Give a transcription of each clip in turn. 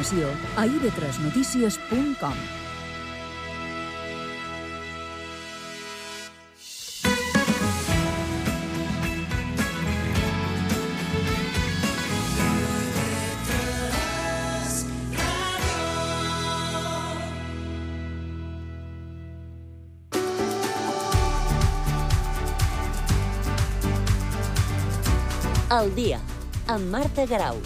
informació a ib3notícies.com. Al dia, amb Marta Garau.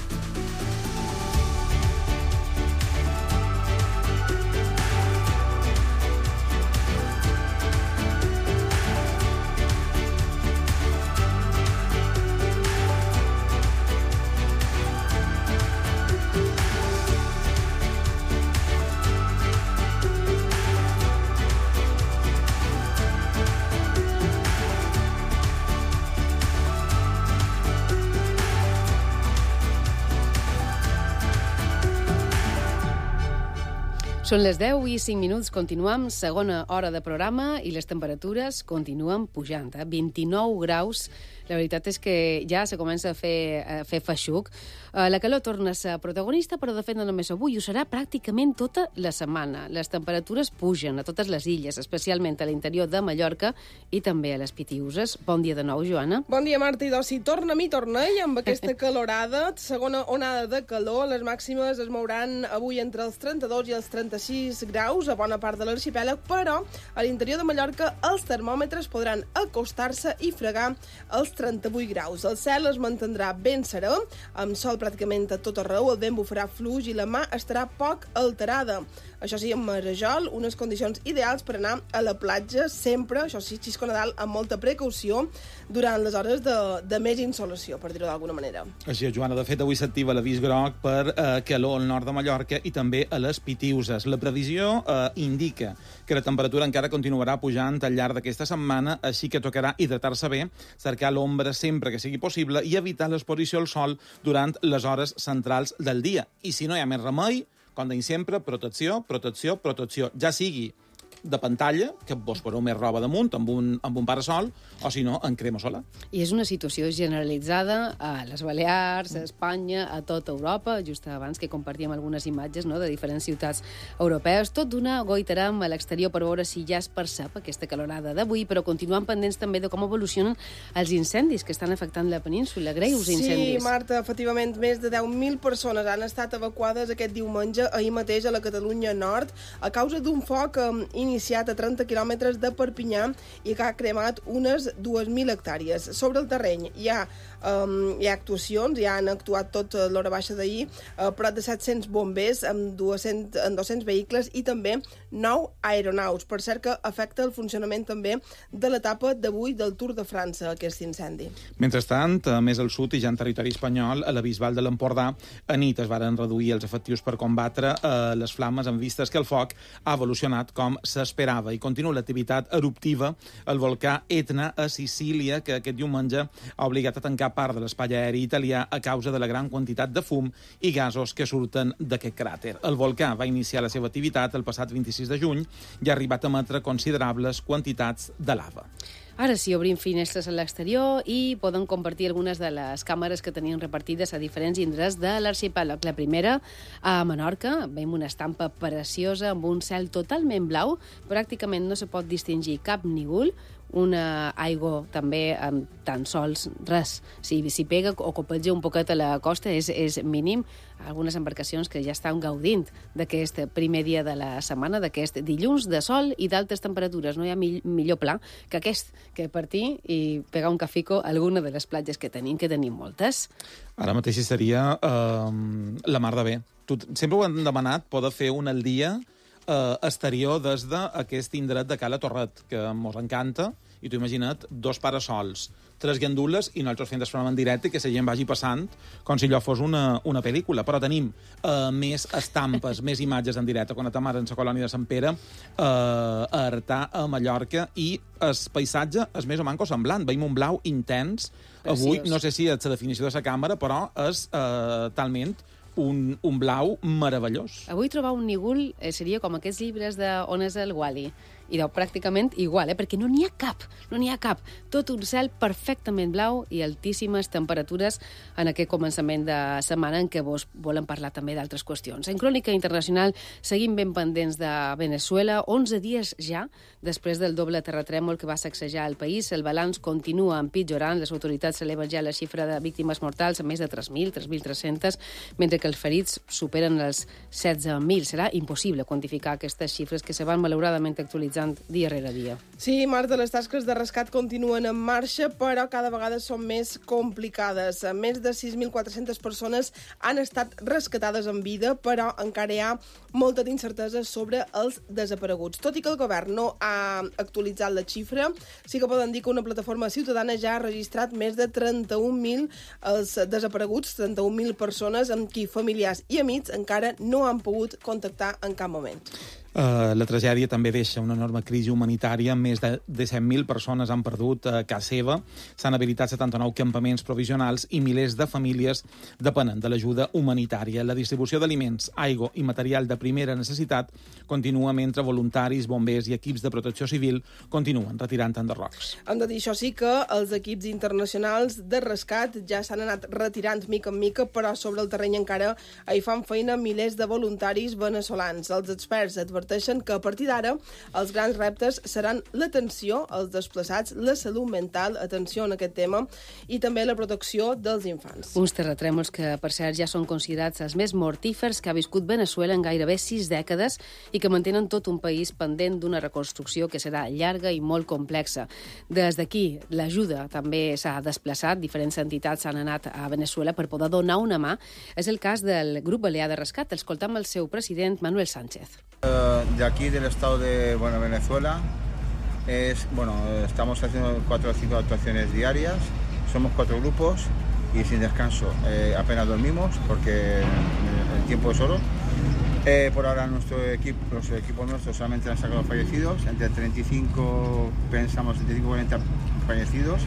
Són les 10 i 5 minuts, continuem, segona hora de programa i les temperatures continuen pujant, 29 graus. La veritat és que ja se comença a fer feixuc. La calor torna a ser protagonista, però de fet no només avui, ho serà pràcticament tota la setmana. Les temperatures pugen a totes les illes, especialment a l'interior de Mallorca i també a les Pitiüses. Bon dia de nou, Joana. Bon dia, Marta, i d'oci. Torna-m'hi, torna-hi, amb aquesta calorada. Segona onada de calor. Les màximes es mouran avui entre els 32 i els 36 graus a bona part de l'arxipèlag, però a l'interior de Mallorca els termòmetres podran acostar-se i fregar els 38 graus. El cel es mantindrà ben serè, amb sol pràcticament a tot arreu, el vent bufarà fluix i la mà estarà poc alterada. Això sí, amb marejol, unes condicions ideals per anar a la platja, sempre, això sí, xisco Nadal, amb molta precaució, durant les hores de més insolació, per dir-ho d'alguna manera. Així és, Joana. De fet, avui s'activa l'avís groc per calor al nord de Mallorca i també a les Pitiüses. La previsió indica que la temperatura encara continuarà pujant al llarg d'aquesta setmana, així que tocarà hidratar-se bé, cercar l'ombra sempre que sigui possible i evitar l'exposició al sol durant les hores centrals del dia. I si no hi ha més remei, com deim sempre, protecció, protecció, protecció. Ja sigui de pantalla, que vos poseu més roba damunt, amb un parasol, o si no, en crema solar. I és una situació generalitzada a les Balears, a Espanya, a tota Europa, just abans que compartíem algunes imatges, no?, de diferents ciutats europees. Tot d'una goitarem a l'exterior per veure si ja es percep aquesta calorada d'avui, però continuem pendents també de com evolucionen els incendis que estan afectant la península, greus incendis. Sí, Marta, efectivament, més de 10.000 persones han estat evacuades aquest diumenge, ahir mateix a la Catalunya Nord, a causa d'un foc iniciat a 30 quilòmetres de Perpinyà i que ha cremat unes 2.000 hectàrees. Sobre el terreny hi ha actuacions, ja han actuat tot l'hora baixa d'ahir, prop de 700 bombers amb 200 vehicles i també 9 aeronaus. Per cert que afecta el funcionament també de l'etapa d'avui del Tour de França, aquest incendi. Mentrestant, més al sud i ja en territori espanyol, a la Bisbal de l'Empordà, a nit es varen reduir els efectius per combatre les flames en vistes que el foc ha evolucionat com s'esperava i continua l'activitat eruptiva al volcà Etna a Sicília, que aquest diumenge ha obligat a tancar part de l'espai aeri italià a causa de la gran quantitat de fum i gasos que surten d'aquest cràter. El volcà va iniciar la seva activitat el passat 26 de juny i ha arribat a emetre considerables quantitats de lava. Ara sí, obrim finestres a l'exterior i poden compartir algunes de les càmeres que tenien repartides a diferents indrets de l'arxipèlag. La primera, a Menorca, veiem una estampa preciosa amb un cel totalment blau, pràcticament no se pot distingir cap nígol, una aigua també amb tan sols res. Si pega o copetja un poquet a la costa és mínim. Algunes embarcacions que ja estan gaudint d'aquest primer dia de la setmana, d'aquest dilluns de sol i d'altes temperatures. No hi ha millor pla que aquest, que partir i pegar un cafico a alguna de les platges que tenim moltes. Ara mateix seria la mar de bé. Sempre ho hem demanat, poder fer un al dia exterior des d'aquest indret de Cala Torret, que mos encanta, i tu imagina't 2 parasols, 3 gandules i nosaltres fent el programa en directe que la gent vagi passant com si allò fos una pel·lícula. Però tenim més estampes, més imatges en directe. Quan estem ara en la colònia de Sant Pere, a Artà, a Mallorca, i el paisatge és més o manco semblant. Veiem un blau intens. Avui, no sé si és la definició de la càmera, però és talment un blau meravellós. Avui trobar un nígol seria com aquests llibres de On és el Wally, i deu pràcticament igual, perquè no n'hi ha cap. Tot un cel perfectament blau i altíssimes temperatures en aquest començament de setmana en què vos volem parlar també d'altres qüestions. En Crònica Internacional seguim ben pendents de Venezuela. 11 dies ja després del doble terratrèmol que va sacsejar el país. El balanç continua empitjorant. Les autoritats eleven ja la xifra de víctimes mortals a més de 3.300, mentre que els ferits superen els 16.000. Serà impossible quantificar aquestes xifres que se van malauradament actualitzant dia rere dia. Sí, Marta, les tasques de rescat continuen en marxa, però cada vegada són més complicades. Més de 6.400 persones han estat rescatades en vida, però encara hi ha molta d'incertesa sobre els desapareguts. Tot i que el govern no ha actualitzat la xifra, sí que poden dir que una plataforma ciutadana ja ha registrat més de 31.000 els desapareguts, 31.000 persones amb qui familiars i amics encara no han pogut contactar en cap moment. La tragèdia també deixa una enorme crisi humanitària. Més de 17.000 persones han perdut casa seva, s'han habilitat 79 campaments provisionals i milers de famílies depenen de l'ajuda humanitària. La distribució d'aliments, aigua i material de primera necessitat continua mentre voluntaris, bombers i equips de protecció civil continuen retirant enderrocs. Hem de dir, això sí, que els equips internacionals de rescat ja s'han anat retirant mica en mica, però sobre el terreny encara hi fan feina milers de voluntaris veneçolans. Els experts adverteixen que a partir d'ara els grans reptes seran l'atenció als desplaçats, la salut mental, atenció en aquest tema, i també la protecció dels infants. Uns terratrèmols que, per cert, ja són considerats els més mortífers que ha viscut Venezuela en gairebé 6 dècades i que mantenen tot un país pendent d'una reconstrucció que serà llarga i molt complexa. Des d'aquí, l'ajuda també s'ha desplaçat. Diferents entitats han anat a Venezuela per poder donar una mà. És el cas del Grup Balear de Rescat. Escoltam el seu president, Manuel Sánchez. De aquí, del estado de Venezuela, estamos haciendo 4 o 5 actuaciones diarias, somos 4 grupos y sin descanso, apenas dormimos porque el tiempo es oro. Por ahora los equipos nuestros solamente han sacado fallecidos, entre 35 y 40 fallecidos,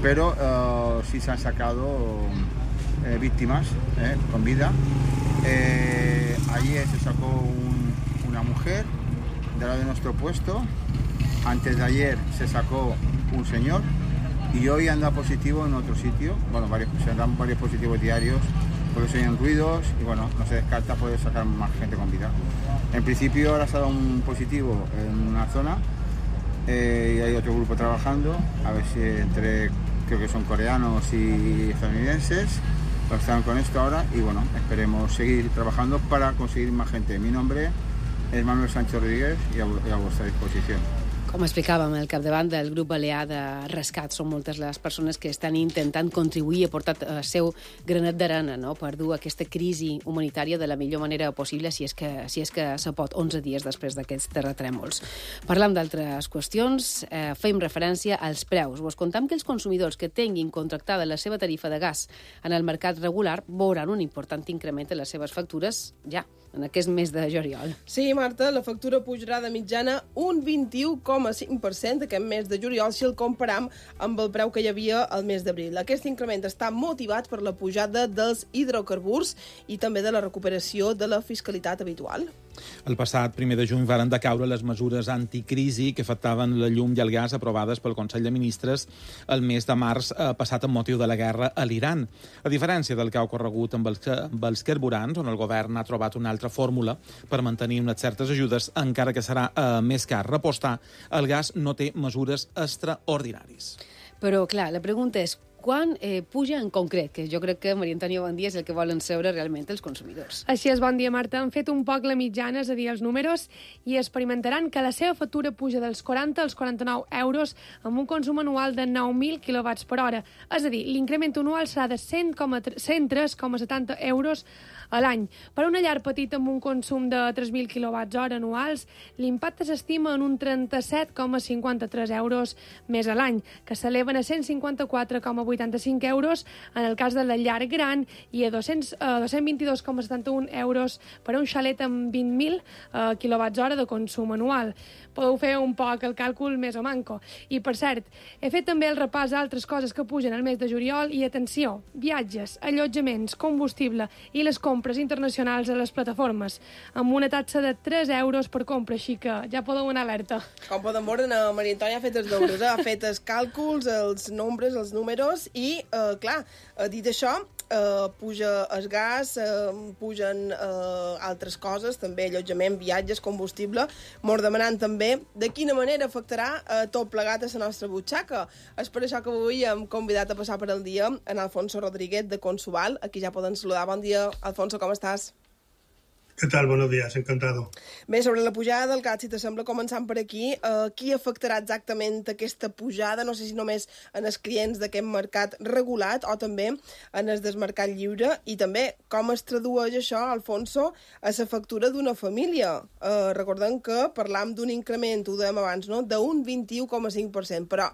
pero sí se han sacado víctimas con vida. Ayer se sacó una mujer de lado de nuestro puesto, antes de ayer se sacó un señor y hoy anda positivo en otro sitio. Se dan varios positivos diarios porque se oyen ruidos y no se descarta poder sacar más gente con vida. En principio ahora se ha dado un positivo en una zona y hay otro grupo trabajando, a ver si creo que son coreanos y estadounidenses. Están con esto ahora y esperemos seguir trabajando para conseguir más gente. Mi nombre es Manuel Sánchez Rodríguez i a vostra disposició. Com explicàvem, al capdavant del Grup Balear de Rescat són moltes les persones que estan intentant contribuir a portar el seu granet d'arena, no?, per dur aquesta crisi humanitària de la millor manera possible, si és que se pot, 11 dies després d'aquests terratrèmols. Parlam d'altres qüestions, fem referència als preus. Vos contam que els consumidors que tinguin contractada la seva tarifa de gas en el mercat regular veuran un important increment en les seves factures ja en aquest mes de juliol. Sí, Marta, la factura pujarà de mitjana un 21,5% aquest mes de juliol si el comparam amb el preu que hi havia al mes d'abril. Aquest increment està motivat per la pujada dels hidrocarburs i també de la recuperació de la fiscalitat habitual. El passat 1 de juny varen decaure les mesures anticrisi que afectaven la llum i el gas aprovades pel Consell de Ministres el mes de març passat amb motiu de la guerra a l'Iran. A diferència del que ha ocorregut amb els carburants, on el govern ha trobat una altra fórmula per mantenir unes certes ajudes, encara que serà més car repostar, el gas no té mesures extraordinaris. Però, clar, la pregunta és quan puja en concret, que jo crec que Maria Antònia Bondia és el que volen saber realment els consumidors. Així és, bon dia, Marta. Han fet un poc la mitjana, és a dir, els números, i experimentaran que la seva factura puja dels 40 als 49 euros amb un consum anual de 9.000 kWh per hora. És a dir, l'increment anual serà de 103,70 euros a l'any. Per una llar petita amb un consum de 3.000 kWh anuals, l'impacte s'estima en un 37,53 euros més a l'any, que s'eleven a 154,80 85 euros en el cas de la llar gran i a 222,71 euros per a un xalet amb 20.000 kWh de consum anual. Podeu fer un poc el càlcul més o manco. I, per cert, he fet també el repàs d'altres coses que pugen al mes de juliol i, atenció, viatges, allotjaments, combustible i les compres internacionals a les plataformes, amb una taxa de 3 euros per compra, així que ja podeu anar alerta. Com poden veure, Maria Antònia ha fet els deures, ha fet els càlculs, els nombres, els números i, clar, dit això, puja el gas, pugen altres coses, també allotjament, viatges, combustible, mos demanant també de quina manera afectarà tot plegat a la nostra butxaca. És per això que avui hem convidat a passar per el dia en Alfonso Rodríguez de Consuval. Aquí ja poden saludar. Bon dia, Alfonso, com estàs? ¿Qué tal? Buenos días, encantado. Bé, sobre la pujada del gas, si t'assembla, començant per aquí, qui afectarà exactament aquesta pujada? No sé si només en els clients d'aquest mercat regulat o també en el del mercat lliure, i també com es tradueix això, Alfonso, a la factura d'una família. Recordem que parlam d'un increment, ho dèiem abans, no?, d'un 21,5%, però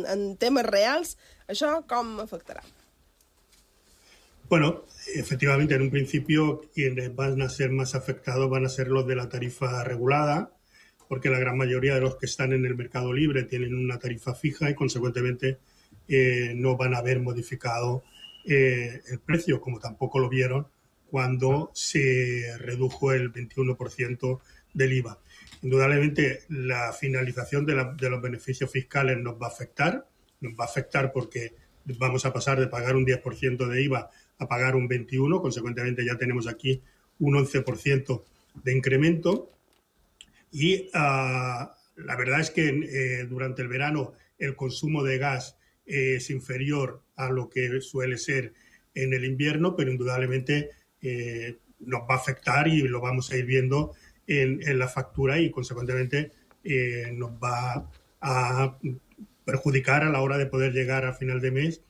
en temes reals, això com afectarà? Bueno, efectivamente, en un principio quienes van a ser más afectados van a ser los de la tarifa regulada, porque la gran mayoría de los que están en el mercado libre tienen una tarifa fija y, consecuentemente, no van a haber modificado el precio, como tampoco lo vieron cuando se redujo el 21% del IVA. Indudablemente, la finalización de los beneficios fiscales nos va a afectar porque vamos a pasar de pagar un 10% de IVA a pagar un 21%, consecuentemente ya tenemos aquí un 11% de incremento. Y la verdad es que durante el verano el consumo de gas es inferior a lo que suele ser en el invierno, pero indudablemente nos va a afectar y lo vamos a ir viendo en la factura y, consecuentemente, nos va a perjudicar a la hora de poder llegar a final de mes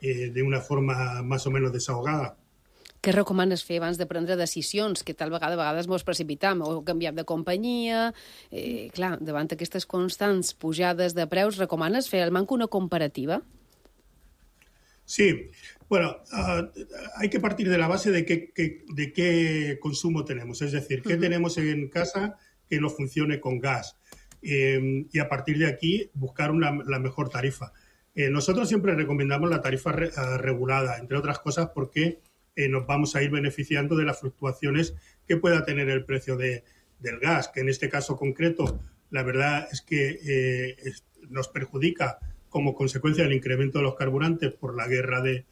de una forma més o menys desahogada. Què recomanes fer abans de prendre decisions? Que tal vegada a vegades mos precipitam o canviam de companyia. Clar, davant aquestes constants pujades de preus, recomanes fer al manco una comparativa? Sí, bueno, hay que partir de la base de qué consumo tenemos, es decir, qué tenemos en casa que nos funcione con gas, y a partir de aquí buscar la mejor tarifa. Nosotros siempre recomendamos la tarifa regulada, entre otras cosas porque nos vamos a ir beneficiando de las fluctuaciones que pueda tener el precio del gas, que en este caso concreto la verdad es que nos perjudica como consecuencia del incremento de los carburantes por la guerra de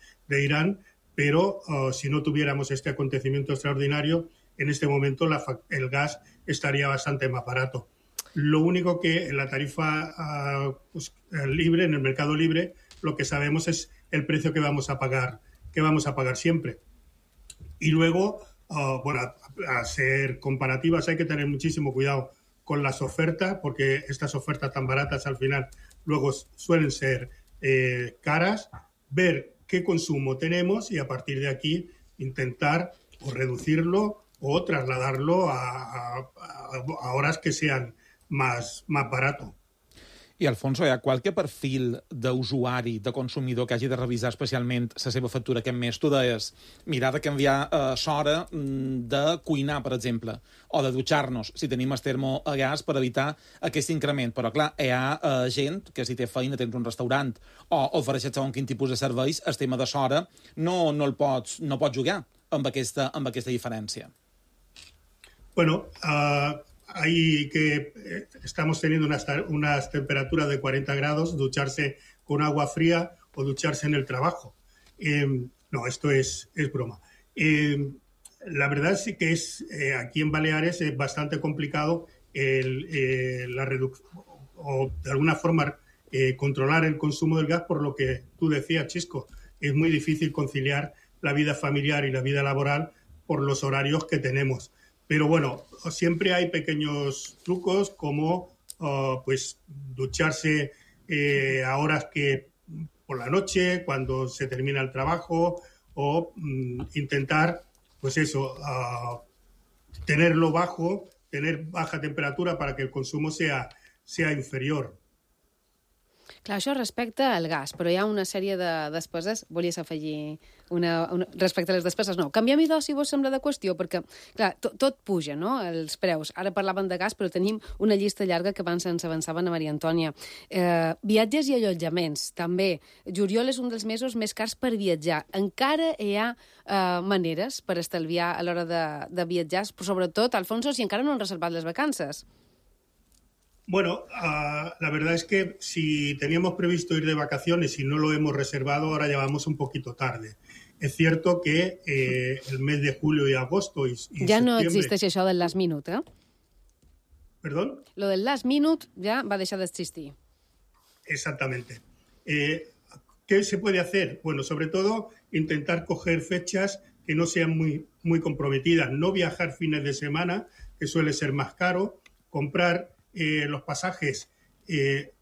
Irán, pero si no tuviéramos este acontecimiento extraordinario, en este momento el gas estaría bastante más barato. Lo único que en la tarifa libre, en el mercado libre, lo que sabemos es el precio que vamos a pagar siempre. Y luego, bueno, a ser comparativas hay que tener muchísimo cuidado con las ofertas, porque estas ofertas tan baratas al final luego suelen ser caras, ver qué consumo tenemos y a partir de aquí intentar o reducirlo o trasladarlo a horas que sean más barato. I, Alfonso, hi ha qualque perfil d'usuari, de consumidor, que hagi de revisar especialment la seva factura aquest mes? Tu deies, mirar de canviar l'hora de cuinar, per exemple, o de dutxar-nos, si tenim el termo a gas, per evitar aquest increment. Però, clar, hi ha gent que si té feina, tens un restaurant, o ofereixes segons quin tipus de serveis, el tema de l'hora no pots jugar amb aquesta diferència. Bueno, ahí que estamos teniendo unas temperaturas de 40 grados, ducharse con agua fría o ducharse en el trabajo. No, esto es broma. La verdad sí que aquí en Baleares es bastante complicado la reducción o de alguna forma controlar el consumo del gas, por lo que tú decías, Chisco. Es muy difícil conciliar la vida familiar y la vida laboral por los horarios que tenemos. Pero bueno, siempre hay pequeños trucos como pues ducharse a horas que por la noche, cuando se termina el trabajo, o intentar, pues eso, tenerlo bajo, tener baja temperatura para que el consumo sea inferior. Clar, això respecte al gas, però hi ha una sèrie de despeses. Volies afegir respecte a les despeses? No. Canviem idò, si vos sembla de qüestió, perquè, clar, tot puja, no?, els preus. Ara parlaven de gas, però tenim una llista llarga que abans ens avançava a Maria Antònia. Viatges i allotjaments, també. Juliol és un dels mesos més cars per viatjar. Encara hi ha maneres per estalviar a l'hora de viatjar, però sobretot, Alfonso, si encara no han reservat les vacances. Bueno, la verdad es que si teníamos previsto ir de vacaciones y no lo hemos reservado, ahora ya vamos un poquito tarde. Es cierto que el mes de julio y agosto y ja no existeix això del last minute, ¿eh? ¿Perdón? Lo del last minute ja va deixar d'existir. Exactamente. ¿Qué se puede hacer? Bueno, sobre todo intentar coger fechas que no sean muy comprometidas. No viajar fines de semana, que suele ser más caro. Comprar los pasajes,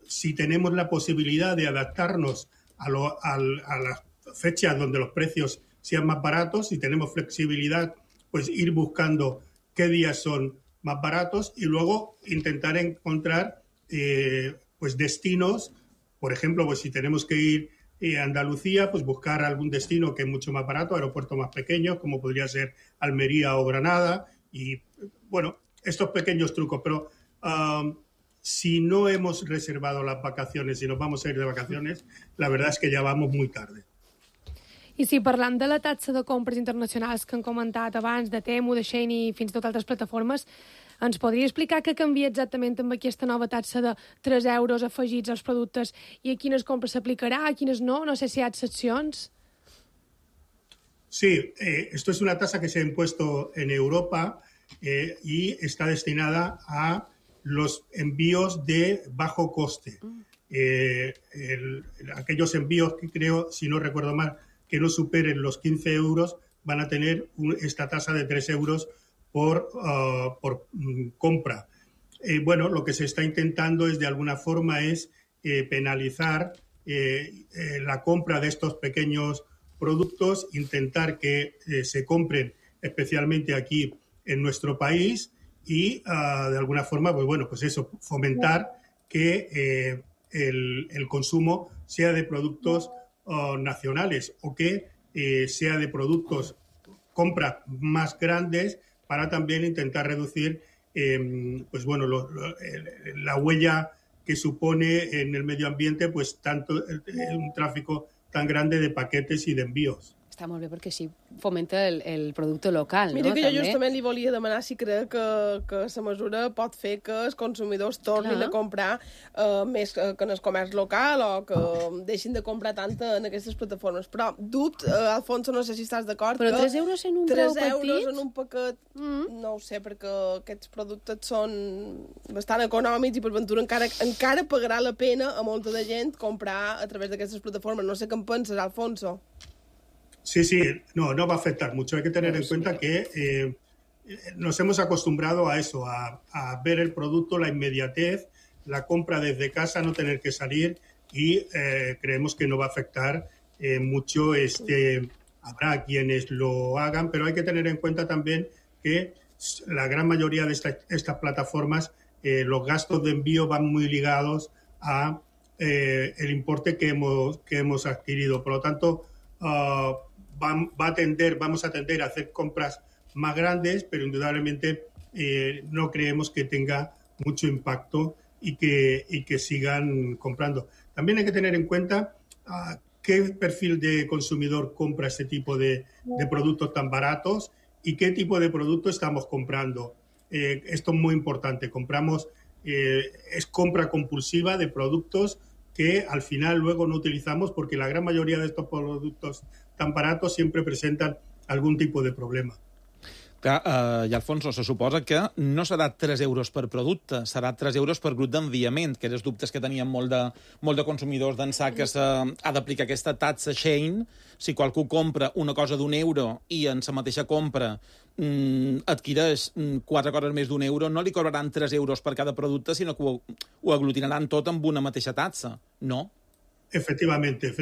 si tenemos la posibilidad de adaptarnos a las fechas donde los precios sean más baratos, si tenemos flexibilidad, pues ir buscando qué días son más baratos y luego intentar encontrar pues destinos. Por ejemplo, pues si tenemos que ir a Andalucía, pues buscar algún destino que es mucho más barato, aeropuertos más pequeños, como podría ser Almería o Granada, y bueno, estos pequeños trucos, pero si no hemos reservado las vacaciones y nos vamos a ir de vacaciones, la verdad es que ya vamos muy tarde. I si parlant de la taxa de compres internacionals que han comentat abans, de Temu, de Shein i fins i tot altres plataformes, ens podria explicar què canvia exactament amb aquesta nova taxa de 3 euros afegits als productes i a quines compres s'aplicarà, a quines no? No sé si hi ha excepcions. Sí, esto es una tasa que se ha impuesto en Europa y está destinada a los envíos de bajo coste. Aquellos envíos que creo, si no recuerdo mal, que no superen los 15 euros, van a tener esta tasa de 3 euros por compra. Bueno, lo que se está intentando es, de alguna forma, es penalizar la compra de estos pequeños productos, intentar que se compren especialmente aquí en nuestro país y, de alguna forma, pues bueno, pues eso, fomentar que el consumo sea de productos nacionales o que sea de productos, compras más grandes, para también intentar reducir pues bueno, la huella que supone en el medio ambiente pues tanto un tráfico tan grande de paquetes y de envíos. Està molt bé perquè així fomenta el producte local, Mira, no? que jo També. justament li volia demanar si crec que la mesura pot fer que els consumidors tornin a comprar més que en el comerç local o que deixin de comprar tant en aquestes plataformes. Però dubte, Alfonso, no sé si estàs d'acord, Però que 3 euros en un preu 3 euros petit? en un paquet, no ho sé, perquè aquests productes són bastant econòmics i per ventura encara pagarà la pena a molta de gent comprar a través d'aquestes plataformes. No sé què en penses, Alfonso. Sí, no va a afectar mucho. Hay que tener en cuenta que nos hemos acostumbrado a eso, a ver el producto, la inmediatez, la compra desde casa, no tener que salir y creemos que no va a afectar mucho. Habrá quienes lo hagan, pero hay que tener en cuenta también que la gran mayoría de estas plataformas, los gastos de envío van muy ligados a el importe que hemos adquirido. Por lo tanto, vamos a tender a hacer compras más grandes, pero indudablemente no creemos que tenga mucho impacto y que sigan comprando. También hay que tener en cuenta qué perfil de consumidor compra este tipo de productos tan baratos y qué tipo de producto estamos comprando. Esto es muy importante. Es compra compulsiva de productos que al final luego no utilizamos porque la gran mayoría de estos productos tan baratos siempre presentan algún tipo de problema. Clar, i Alfonso, se suposa que no serà 3 euros per producte, serà 3 euros per grup d'enviament, que eren els dubtes que tenien molt de consumidors d'ençà que s'ha d'aplicar aquesta taxa Shein. Si qualcú compra una cosa d'1 euro i en la mateixa compra adquireix 4 coses més d'1 euro, no li cobraran 3 euros per cada producte, sinó que ho aglutinaran tot amb una mateixa taxa, no? Efectivamente.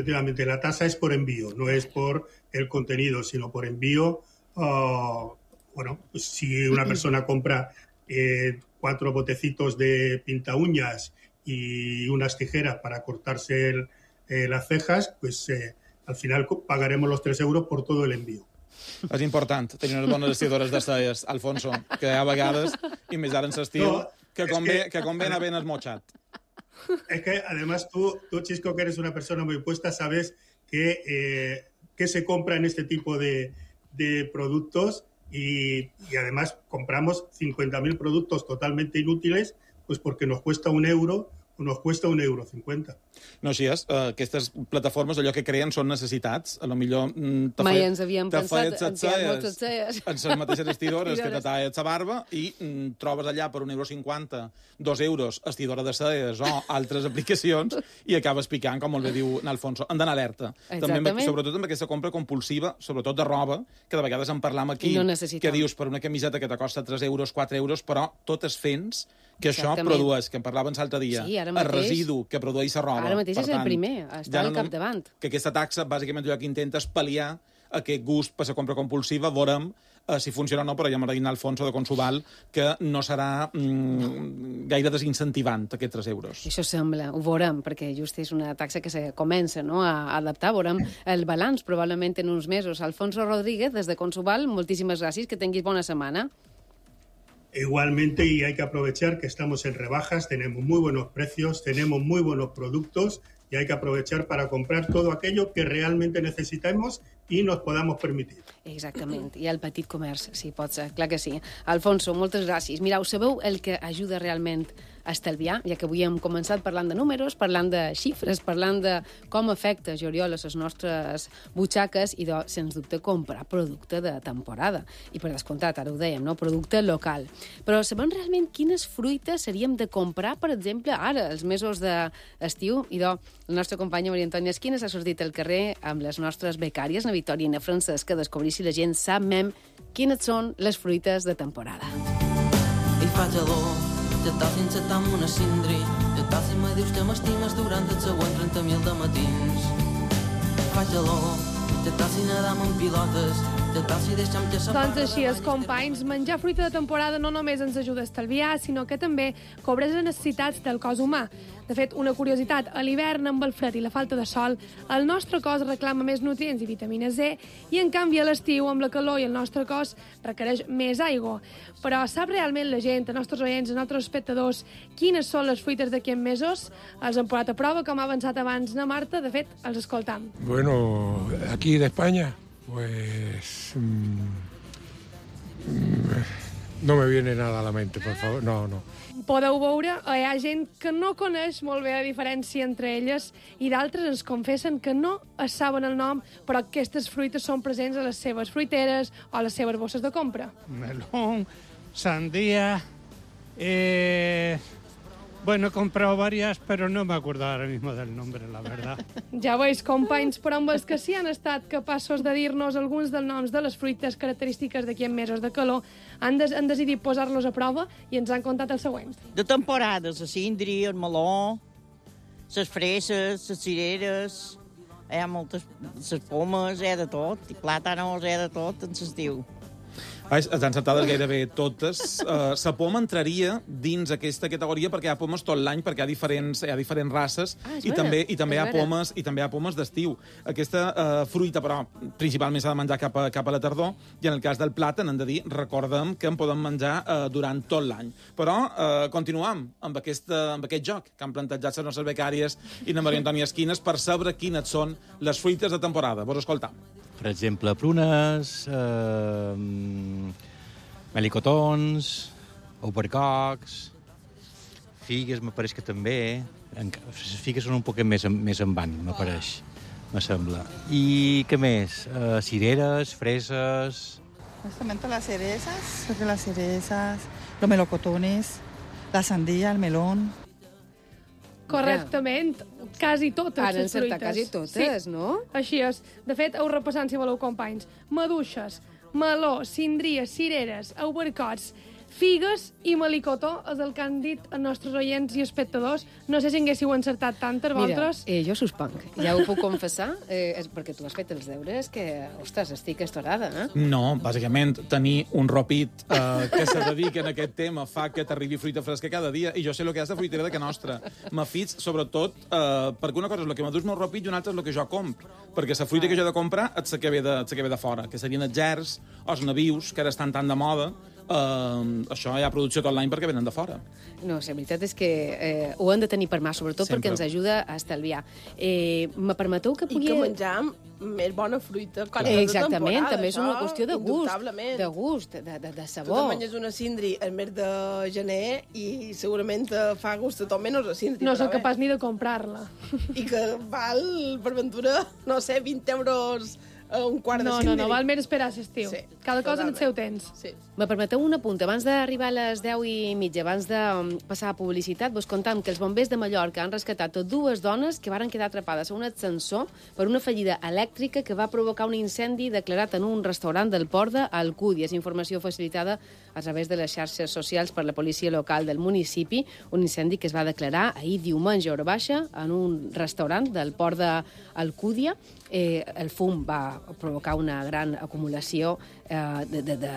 La tasa es por envío, no es por el contenido, sino por envío. Bueno, pues si una persona compra 4 botecitos de pinta uñas y unas tijeras para cortarse las cejas, pues al final pagaremos los 3 euros por todo el envío. És important tenir unes bones estidores de celles, Alfonso, que hi ha vegades, i més ara en l'estiu, que convé anar ben esmotxat. Es que además tú, Chisco, que eres una persona muy puesta, sabes que se compra en este tipo de productos y además compramos 50.000 productos totalmente inútiles, pues porque nos cuesta €1 o nos cuesta €1,50. No, així és. Aquestes plataformes, allò que creen són necessitats. A lo millor mai ens havíem pensat en moltes celles. En les mateixes estidores que te talles la barba i trobes allà per €1,50, €2, estidora de celles o altres aplicacions i acabes picant, com molt bé diu Alfonso. Han d'anar alerta. També, sobretot amb aquesta compra compulsiva, sobretot de roba, que de vegades en parlam aquí, que dius per una camiseta que te costa €3, €4, però tot es fents que això produeix, que en parlaven l'altre dia, el residu que produeix la roba. Ara mateix és el primer, està al capdavant. Que aquesta taxa, bàsicament, allò que intenta és pal·liar aquest gust per la compra compulsiva. Veurem si funciona o no, però ja m'ha dit Alfonso de Consuval que no serà gaire desincentivant aquests €3. Això sembla, ho veurem, perquè just és una taxa que se comença a adaptar. Veurem el balanç probablement en uns mesos. Alfonso Rodríguez, des de Consuval, moltíssimes gràcies, que tinguis bona setmana. Igualmente, y hay que aprovechar que estamos en rebajas, tenemos muy buenos precios, tenemos muy buenos productos y hay que aprovechar para comprar todo aquello que realmente necesitemos i nos podamos permitir. Exactament, i el petit comerç, si pot ser, clar que sí. Alfonso, moltes gràcies. Mireu, sabeu el que ajuda realment a estalviar, ja que avui hem començat parlant de números, parlant de xifres, parlant de com afecta juliol a les nostres butxaques i, sens dubte, comprar producte de temporada. I per descomptat, ara ho dèiem, no? Producte local. Però sabem realment quines fruites seríem de comprar, per exemple, ara, els mesos d'estiu? I, la nostra companya Maria Antònia Esquines ha sortit al carrer amb les nostres becàries, na Victòria i na Francesc, que descobrir si la gent sap quines són les fruites de temporada. I fa gelor, ja t'has encetat amb una cindri, ja t'has i me dius que m'estimes durant els següents 30.000 de matins. Fa gelor, ja t'has i nedam amb pilotes, ja t'has i deixa'm que Doncs així és, companys, menjar fruita de temporada no només ens ajuda a estalviar, sinó que també cobreix les necessitats del cos humà. De fet, una curiositat, a l'hivern, amb el fred i la falta de sol, el nostre cos reclama més nutrients i vitamina C, i en canvi a l'estiu, amb la calor i el nostre cos requereix més aigua. Però sap realment la gent, els nostres oients, els nostres espectadors, quines són les fruites d'aquí en mesos? Els hem posat a prova, com ha avançat abans na Marta, de fet, els escoltam. Bueno, aquí de España, pues no me viene nada a la mente, por favor, no. Podeu veure, hi ha gent que no coneix molt bé la diferència entre elles i d'altres ens confessen que no es saben el nom, però aquestes fruites són presents a les seves fruiteres o a les seves bosses de compra. Melón, sandía, bueno, he comprado varias, pero no me acuerdo ahora mismo del nombre, la verdad. Ja veus, companys, però amb els que sí han estat capaços de dir-nos alguns dels noms de les fruites característiques d'aquí en mesos de calor, han decidit posar-los a prova i ens han contat el següent. De temporades, la síndria, el meló, les freses, les cireres, hi ha moltes, les pomes, hi ha de tot, i plàtanos, hi ha de tot en l'estiu. Estan sentades gairebé totes. La poma entraria dins aquesta categoria perquè hi ha pomes tot l'any, perquè hi ha diferents races i també hi ha pomes d'estiu. Aquesta fruita, però, principalment s'ha de menjar cap a la tardor, i en el cas del plàtan, hem de dir, recordem que en podem menjar durant tot l'any. Però continuem amb aquest joc que han plantejat les nostres becàries i la Maria Antònia Esquines per saber quines són les fruites de temporada. Vos escoltam. Per exemple, prunes, melicotons, albercocs, figues, me pareix que també. Les figues són un poc més en van, me pareix, me sembla. I què més? Cireres, freses... Justamente las cerezas, los melocotones, la sandía, el melón... Correctament, quasi totes les fruites. Quasi totes, no? Així és. De fet, heu repassant, si voleu, companys. Maduixes, meló, síndries, cireres, albercots, Figues i melicotó és el que han dit els nostres oients i espectadors. No sé si haguéssiu encertat tantes, vosaltres. Mira, jo suspenc. Ja ho puc confessar, perquè tu has fet els deures, que, ostres, estic estorada, eh? No, bàsicament, tenir un ropit que se dedica en aquest tema fa que t'arribi fruita fresca cada dia, i jo sé el que és la fruitera de que nostra. M'afits, sobretot, perquè una cosa és el que m'adús meu ropit i una altra és el que jo compro. Perquè la fruita que jo he de comprar és la que ve de fora, que serien els gerds o els nabius, que ara estan tan de moda. Això hi ha producció tot l'any perquè venen de fora. No, la veritat és que ho hem de tenir per mà, sobretot Sempre. perquè ens ajuda a estalviar. Me permeteu que pugui... I que menjar més bona fruita quan Exactament, de temporada. també és una qüestió de gust, de sabor. Tu te menges una cindri al mes de gener i segurament te fa gust a tot menys la cindri. No sóc capaç ni de comprar-la. I que val, per ventura, no sé, 20 euros un quart de cindri. No, val més esperar a l'estiu. Sí, cada cosa en el seu temps. Sí. Me permeteu un apunt. Abans d'arribar a les 10:30, abans de passar a publicitat, vos contam que els bombers de Mallorca han rescatat dues dones que varen quedar atrapades a un ascensor per una fallida elèctrica que va provocar un incendi declarat en un restaurant del port d'Alcúdia. És informació facilitada a través de les xarxes socials per la policia local del municipi, un incendi que es va declarar ahir diumenge a hora baixa en un restaurant del port d'Alcúdia. El fum va provocar una gran acumulació,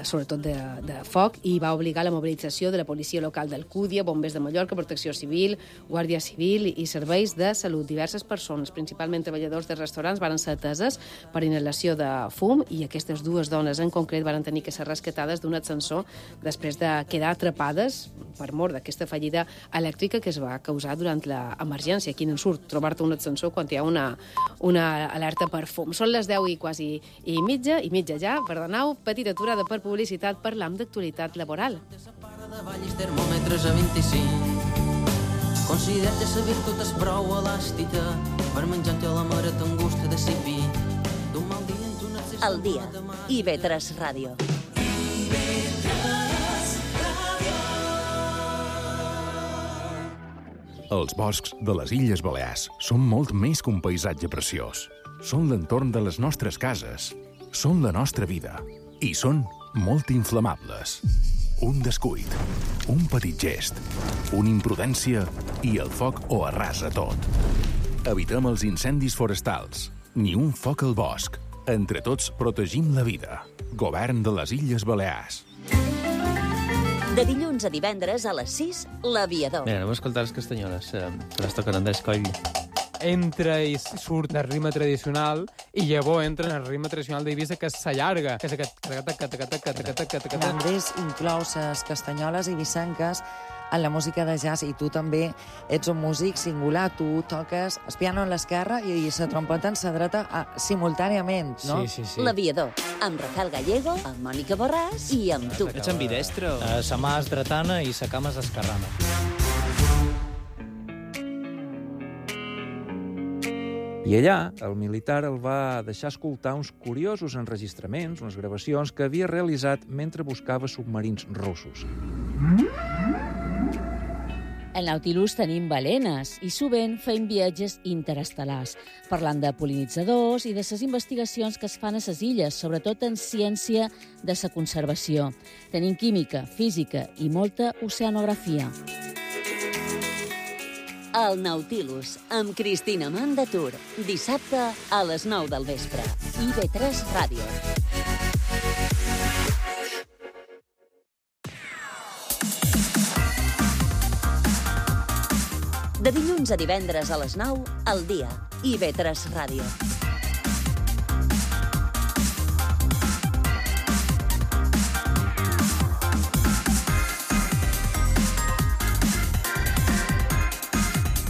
sobretot de foc, i va obligar la mobilització de la policia local d'Alcúdia, bombers de Mallorca, protecció civil, guàrdia civil i serveis de salut. Diverses persones, principalment treballadors de restaurants, van ser ateses per inhalació de fum, i aquestes dues dones en concret van tenir que ser rescatades d'un ascensor després de quedar atrapades per mort d'aquesta fallida elèctrica que es va causar durant l'emergència. Quin ensurt trobar-te un ascensor quan hi ha una alerta per fum. Són les 10:15 ja, perdoneu, petita aturada per publicitat, parlam d'actualitat laboral. De vallis termòmetres a 25. Considera que la virtut és prou elàstica per menjar-te la mare t'angusta de cipi. D'un mal dia ens un accés... El dia. IB3 Ràdio. Els boscs de les Illes Balears són molt més que un paisatge preciós. Són l'entorn de les nostres cases, són la nostra vida i són molt inflamables. Un descuit, un petit gest, una imprudència i el foc ho arrasa tot. Evitem els incendis forestals, ni un foc al bosc. Entre tots protegim la vida. Govern de les Illes Balears. De dilluns a divendres a les 6, L'Aviador. Mira, anem a escoltar les castanyoles, que les toquen Andrés Coll. Entra i surt del ritme tradicional i llavors entra en el ritme tradicional d'Eivissa, que s'allarga, que és aquest... Andrés inclou les castanyoles eivissenques en la música de jazz, i tu també ets un músic singular. Tu toques el piano en l'esquerra i la trompeta en la dreta simultàniament, no? Sí. L'Aviador, amb Rafael Gallego, amb Mònica Borràs i amb tu. Ets ambidestre? Sa mà és dretana i sa cama és esquerrana. I allà, el militar el va deixar escoltar uns curiosos enregistraments, unes gravacions que havia realitzat mentre buscava submarins russos. Al Nautilus tenim balenes i sovint fem viatges interestel·lars, parlant de pol·linitzadors i de les investigacions que es fan a les illes, sobretot en ciència de la conservació. Tenim química, física i molta oceanografia. El Nautilus, amb Cristina Mandatur. Dissabte a les 9 del vespre. IB3 Ràdio. De dilluns a divendres a les 9, al dia. IB3 Ràdio.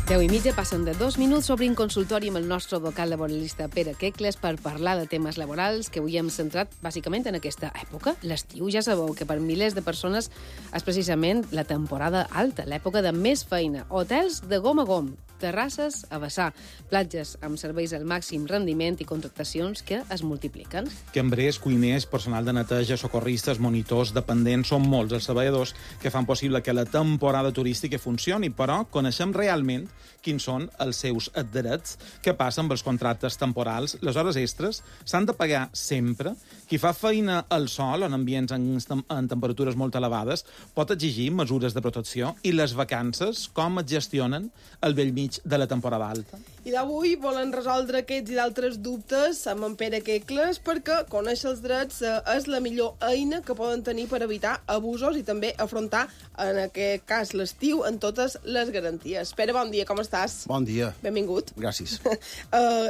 Deu i mitja, passen de 2 minuts, obrim consultori amb el nostre advocat laboralista Pere Quecles per parlar de temes laborals que avui hem centrat bàsicament en aquesta època. L'estiu, ja sabeu que per milers de persones és precisament la temporada alta, l'època de més feina. Hotels de gom a gom. terrasses a vessar, platges amb serveis al màxim rendiment i contractacions que es multipliquen. Cambrers, cuiners, personal de neteja, socorristes, monitors, dependents, són molts els treballadors que fan possible que la temporada turística funcioni, però coneixem realment quins són els seus drets. Què passa amb els contractes temporals? Les hores extres s'han de pagar sempre. Qui fa feina al sol, en ambients en temperatures molt elevades, pot exigir mesures de protecció. I les vacances, com es gestionen al bell mig de la temporada alta? I d'avui volen resoldre aquests i d'altres dubtes amb en Pere Quecles, perquè conèixer els drets és la millor eina que poden tenir per evitar abusos i també afrontar, en aquest cas, l'estiu en totes les garanties. Pere, bon dia, com estàs? Bon dia. Benvingut. Gràcies.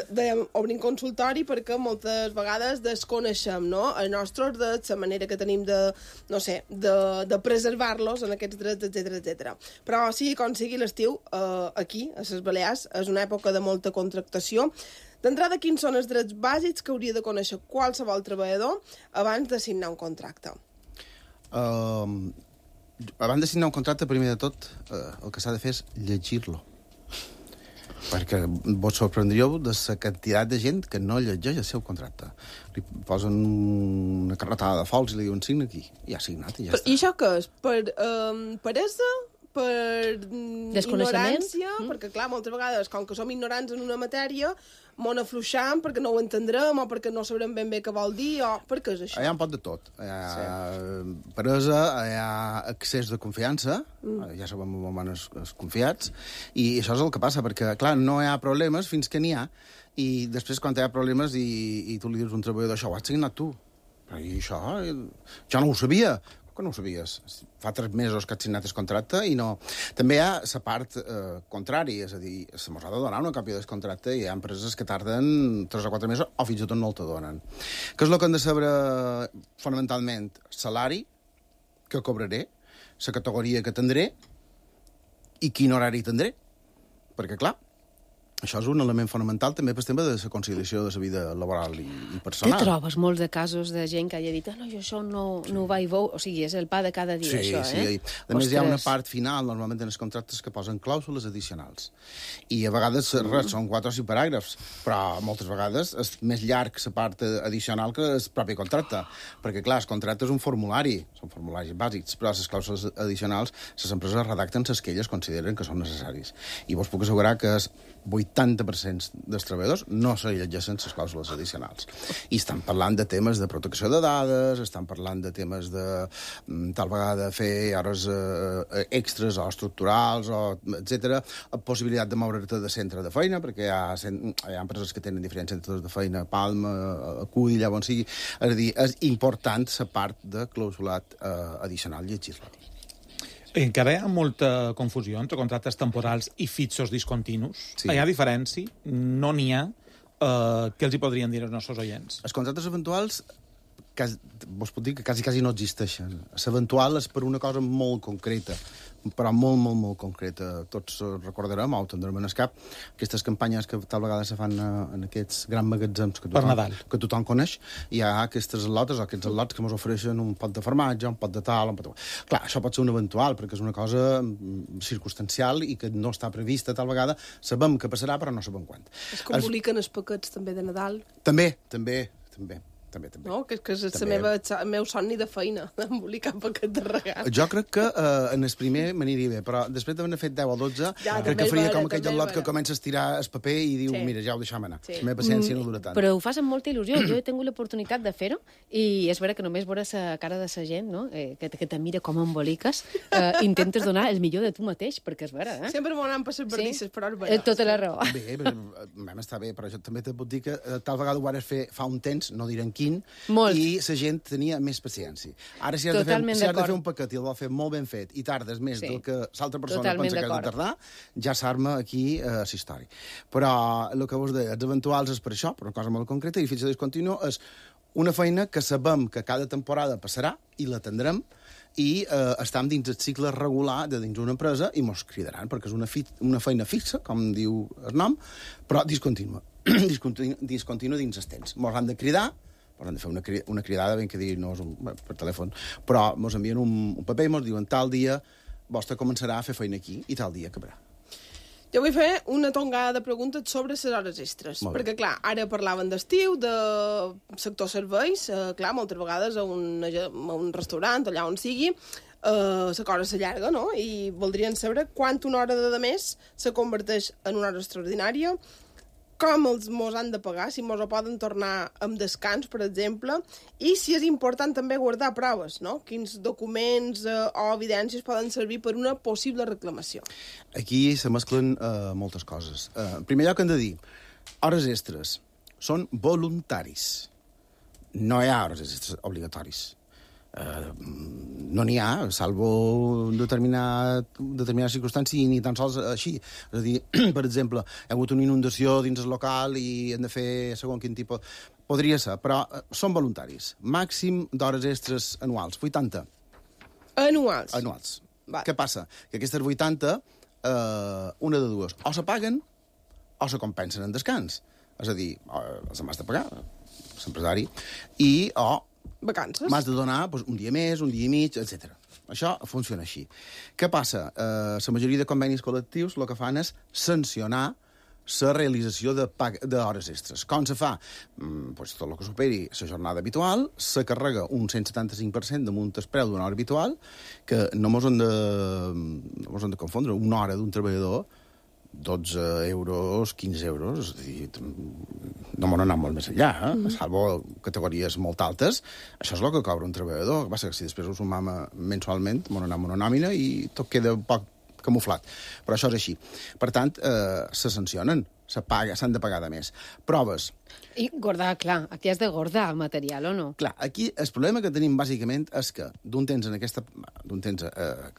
Dèiem, obrim consultori perquè moltes vegades desconeixem, no?, els nostres drets, la manera que tenim de, no sé, de preservar-los en aquests drets, etc. Però sigui com sigui, l'estiu, aquí, a les Balears, és una època de molta contractació. D'entrada, quins són els drets bàsics que hauria de conèixer qualsevol treballador abans de signar un contracte? Abans de signar un contracte, primer de tot, el que s'ha de fer és llegir-lo. Perquè vos sorprendríeu de la quantitat de gent que no llegeix el seu contracte. Li posen una carretada de fols i li diuen signa aquí. I ha signat i ja està. I això què és? Per peresa? Per ignorància? Perquè, clar, moltes vegades, com que som ignorants en una matèria, m'on afluixam perquè no ho entendrem o perquè no sabrem ben bé què vol dir o per què és això? Hi ha un pot de tot. Hi ha peresa, hi ha excés de confiança, ja sabem molt menys confiats, i això és el que passa, perquè, clar, no hi ha problemes fins que n'hi ha, i després quan hi ha problemes i tu li dius a un treballador, això ho has signat tu. Però i això, jo no ho sabia. Que no ho sabies? Fa 3 mesos que has signat el contracte i no... També hi ha la part contrària, és a dir, se mos ha de donar una còpia del contracte i hi ha empreses que tarden 3 o 4 mesos o fins i tot no el te donen. Què és el que hem de saber fonamentalment? Salari, que cobraré, la categoria que tindré i quin horari tindré. Perquè, clar, això és un element fonamental també per tema de la conciliació de la vida laboral i personal. Te trobes molts de casos de gent que hagi dit no, jo això no ho vaig veure, o sigui, és el pa de cada dia, això, eh? Sí. A més, hi ha una part final, normalment en els contractes, que posen clàusules addicionals. I a vegades, res, són 4 o 5 paràgrafs, però moltes vegades és més llarg la part addicional que el propi contracte. Perquè, clar, el contracte és un formulari, són formularis bàsics, però les clàusules addicionals, les empreses redacten les que elles consideren que són necessaris. I vos puc assegurar que és 80% dels treballadors no se llegeixen les clàusules addicionals. I estan parlant de temes de protecció de dades, estan parlant de temes de tal vegada fer hores extres o estructurals, etc. Possibilitat de moure't de centre de feina, perquè hi ha empreses que tenen diferents centres de feina, Palma, Acull, allà on sigui. És a dir, és important la part de clausulat addicional llegir-la. Encara hi ha molta confusió entre contractes temporals i fixos discontinus. Sí. Hi ha diferència? No n'hi ha? Què els hi podrien dir els nostres oients? Els contractes eventuals, vos puc dir que quasi no existeixen. L'eventual és per una cosa molt concreta, però molt concreta. Tots recordarem, o tindrem en el cap, aquestes campanyes que tal vegada se fan en aquests grans magatzems que tothom coneix. Hi ha aquestes lotes o aquests lots que ens ofereixen un pot de formatge, un pot de tal, un pot de... Clar, això pot ser un eventual, perquè és una cosa circumstancial i que no està prevista tal vegada. Sabem que passarà, però no sabem quan. Es que emboliquen els paquets també de Nadal. També. No, que és el meu somni de feina, embolicar paquet de regal. Jo crec que en el primer m'aniria bé, però després d'haver fet 10 o 12, crec que faria com aquell lot que comença a estirar el paper i diu, mira, ja ho deixam anar. La meva paciència no dura tant. Però ho fas amb molta il·lusió. Jo he tingut l'oportunitat de fer-ho i és vera que només veure la cara de la gent, no? Que te mira com emboliques, intentes donar el millor de tu mateix, perquè és vera, eh? Sempre m'ho anem per les verdisses, però és vera. Tota la raó. Bé, està bé, però jo també te puc dir que tal vegada ho vares fer fa un temps, no direm quin, molt. I la gent tenia més paciència. Ara, si has de fer un paquet i el vol fer molt ben fet i tardes més del que l'altra persona pensa que has de tardar, ja s'arma aquí la història. Però el que vos deia, els eventuals és per això, per una cosa molt concreta, i fitxa discontinu és una feina que sabem que cada temporada passarà i la tindrem i estem dins el cicle regular de dins una empresa i mos cridaran, perquè és una feina fixa, com diu el nom, però discontínua. Discontínua dins els temps. Mos han de cridar, mos han de fer una cridada, ben que dir, no és per telèfon, però mos envien un paper i mos diuen tal dia vostre començarà a fer feina aquí i tal dia acabarà. Jo vull fer una tongada de preguntes sobre les hores extres. Perquè, clar, ara parlaven d'estiu, de sector serveis. Clar, moltes vegades a un restaurant, allà on sigui, la cosa s'allarga, no? I voldrien saber una hora de més se converteix en una hora extraordinària, com mos han de pagar, si mos ho poden tornar amb descans, per exemple, i si és important també guardar proves, no? Quins documents o evidències poden servir per una possible reclamació. Aquí se mesclen moltes coses. En primer lloc hem de dir, hores extres són voluntaris. No hi ha hores extres obligatoris. No n'hi ha, salvo determinades circumstàncies, i ni tan sols així. És a dir, per exemple, hi ha hagut una inundació dins el local i hem de fer segons quin tipus... Podria ser, però són voluntaris. Màxim d'hores extres anuals, 80. Anuals? Anuals. Què passa? Que aquestes 80, una de dues, o se paguen o se compensen en descans. És a dir, els hem de pagar, l'empresari, o vacances. M'has de donar un dia més, un dia i mig, etc. Això funciona així. Què passa? La majoria de convenis col·lectius el que fan és sancionar la realització d'hores extres. Com se fa? Tot el que superi la jornada habitual, se carrega un 175% damunt el preu d'una hora habitual, que no mos han de confondre. Una hora d'un treballador, 12 euros, 15 euros, és a dir, no m'han anat molt més enllà, salvo categories molt altes. Això és el que cobra un treballador. El que passa que si després ho sumam mensualment, m'han anat una nòmina i tot queda un poc camuflat. Però això és així. Per tant, se sancionen, s'han de pagar de més. Proves. I guardar, clar, aquí has de guardar el material, o no? Clar, aquí el problema que tenim bàsicament és que d'un temps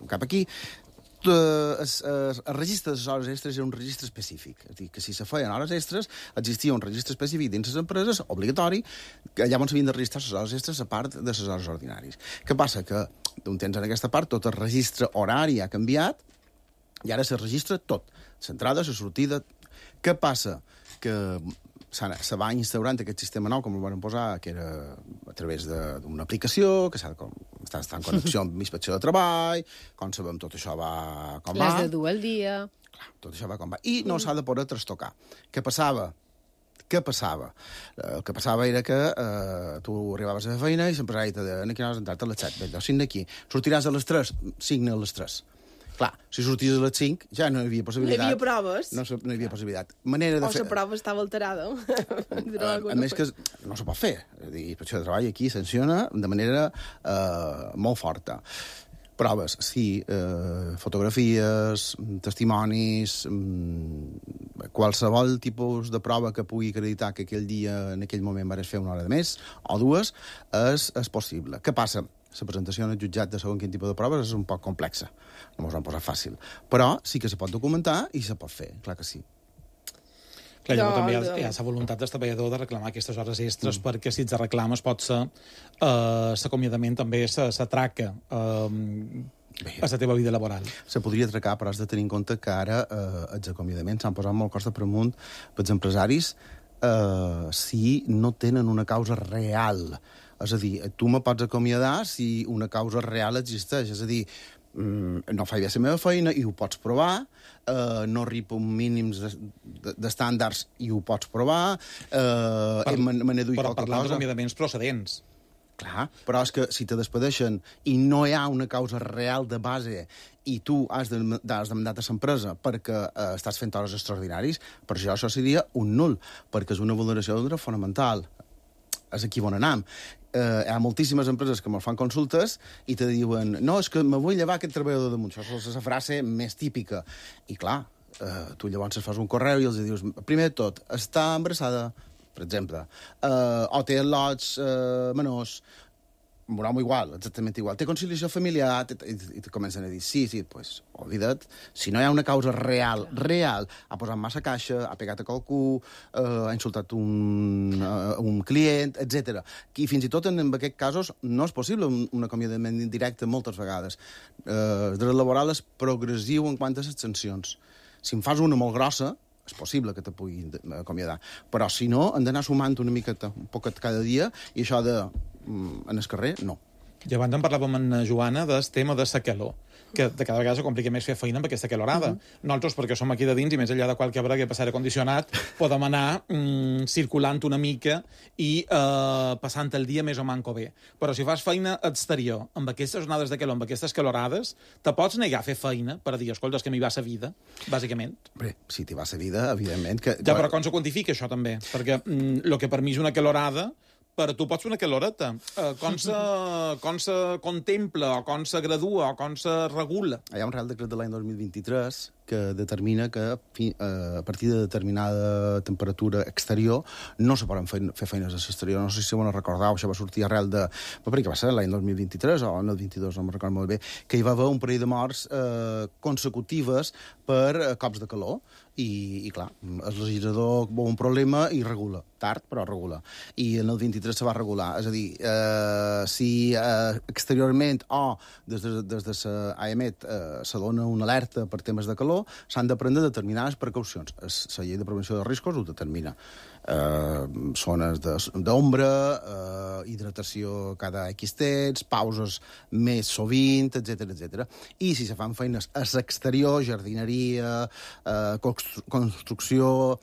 cap aquí, el registre de les hores extres era un registre específic. És a dir, que si se feien hores extres, existia un registre específic dins les empreses, obligatori, que llavors s'havien de registrar les hores extres a part de les hores ordinàries. Què passa? Que d'un temps en aquesta part tot el registre horari ha canviat i ara se registra tot. L'entrada, la sortida... Què passa? Que se va instaurant aquest sistema nou, com el van posar, que era a través d'una aplicació, que està en connexió amb l'inspecció de treball, com sabem, tot això va com va. Les de dur al dia. Clar, tot això va com va. I no s'ha de poder trastocar. Què passava? El que passava era que tu arribaves a la feina i l'empresari te deia que anaves a entrar a les 7, bé, signa aquí. Sortiràs a les 3, signa a les 3. Clar, si sorties a les 5 ja no hi havia possibilitat. No hi havia proves. No hi havia possibilitat. Manera de fer... la prova estava alterada. A més que no se pot fer. És a dir, inspecció de treball aquí sanciona de manera molt forta. Proves, sí, fotografies, testimonis, qualsevol tipus de prova que pugui acreditar que aquell dia, en aquell moment, vares fer una hora de més, o dues, és possible. Què passa? La presentació en el jutjat de segon quin tipus de proves és un poc complexa. No mos ho han posat fàcil. Però sí que se pot documentar i se pot fer, clar que sí. Clar, llavors també hi ha la voluntat del treballador de reclamar aquestes hores extres perquè si ets de reclames pot ser l'acomiadament també s'atraca a la teva vida laboral. Se podria atracar, però has de tenir en compte que ara els acomiadaments s'han posat molt costa per amunt pels empresaris si no tenen una causa real. És a dir, tu me pots acomiadar si una causa real existeix. És a dir, no faig bé la meva feina i ho pots provar, no arribo a mínims d'estàndards i ho pots provar, me n'he duit qualque cosa. Però parlant d'acomiadaments procedents. Clar, però és que si te despedeixen i no hi ha una causa real de base i tu has demandat a l'empresa perquè estàs fent hores extraordinaris, per això seria un nul, perquè és una vulneració d'un dret fonamental. És aquí on anem. Hi ha moltíssimes empreses que me'ls fan consultes i te diuen, no, és que me vull llevar aquest treballador damunt. Això és la frase més típica. I clar, tu llavors fas un correu i els dius, primer de tot, està embarassada, per exemple, o té al·lots menors, un home igual, exactament igual. Té conciliació familiar, i te comencen a dir, sí, pues, oblida't, si no hi ha una causa real, ha posat massa caixa, ha pegat a qualcú, ha insultat un client, etc. I fins i tot en aquests casos no és possible un acomiadament indirecte moltes vegades. El dret laboral és progressiu en quant a les sancions. Si en fas una molt grossa, és possible que te pugui acomiadar. Però si no, han d'anar sumant una miqueta, un poquet cada dia, i això de en el carrer, no. I abans en parlàvem amb en Joana del tema de la calor, que de cada vegada se complica més fer feina amb aquesta calorada. Nosaltres, perquè som aquí de dins, i més enllà de qualque hora que passar condicionat, podem anar circulant una mica i passant el dia més o manco bé. Però si fas feina exterior, amb aquestes jornades de calor, amb aquestes calorades, te pots negar a fer feina per dir, escolta, és que m'hi va sa vida, bàsicament. Bé, si t'hi va sa vida, evidentment que... Ja, però com se quantifica això, també? Perquè el que per mi és una calorada, per tu pots fer una caloreta. Com se contempla, o com se gradua, o com se regula? Hi ha un Real Decret de l'any 2023 que determina que a partir de determinada temperatura exterior no se poden fer feines a l'exterior. No sé si ho recordeu, això va sortir arrel de... perquè va ser l'any 2023 o en el 22, no me'n recordo molt bé, que hi va haver un parell de morts consecutives per cops de calor. I clar, el legislador veu un problema i regula. Tard, però regula. I en el 23 se va regular. És a dir, si exteriorment o des de l'AEMET se dona una alerta per temes de calor, s'han de prendre determinades precaucions. La llei de prevenció de riscos ho determina. Zones d'ombra, hidratació cada X temps, pauses més sovint, etc. I si se fan feines a l'exterior, jardineria, construcció,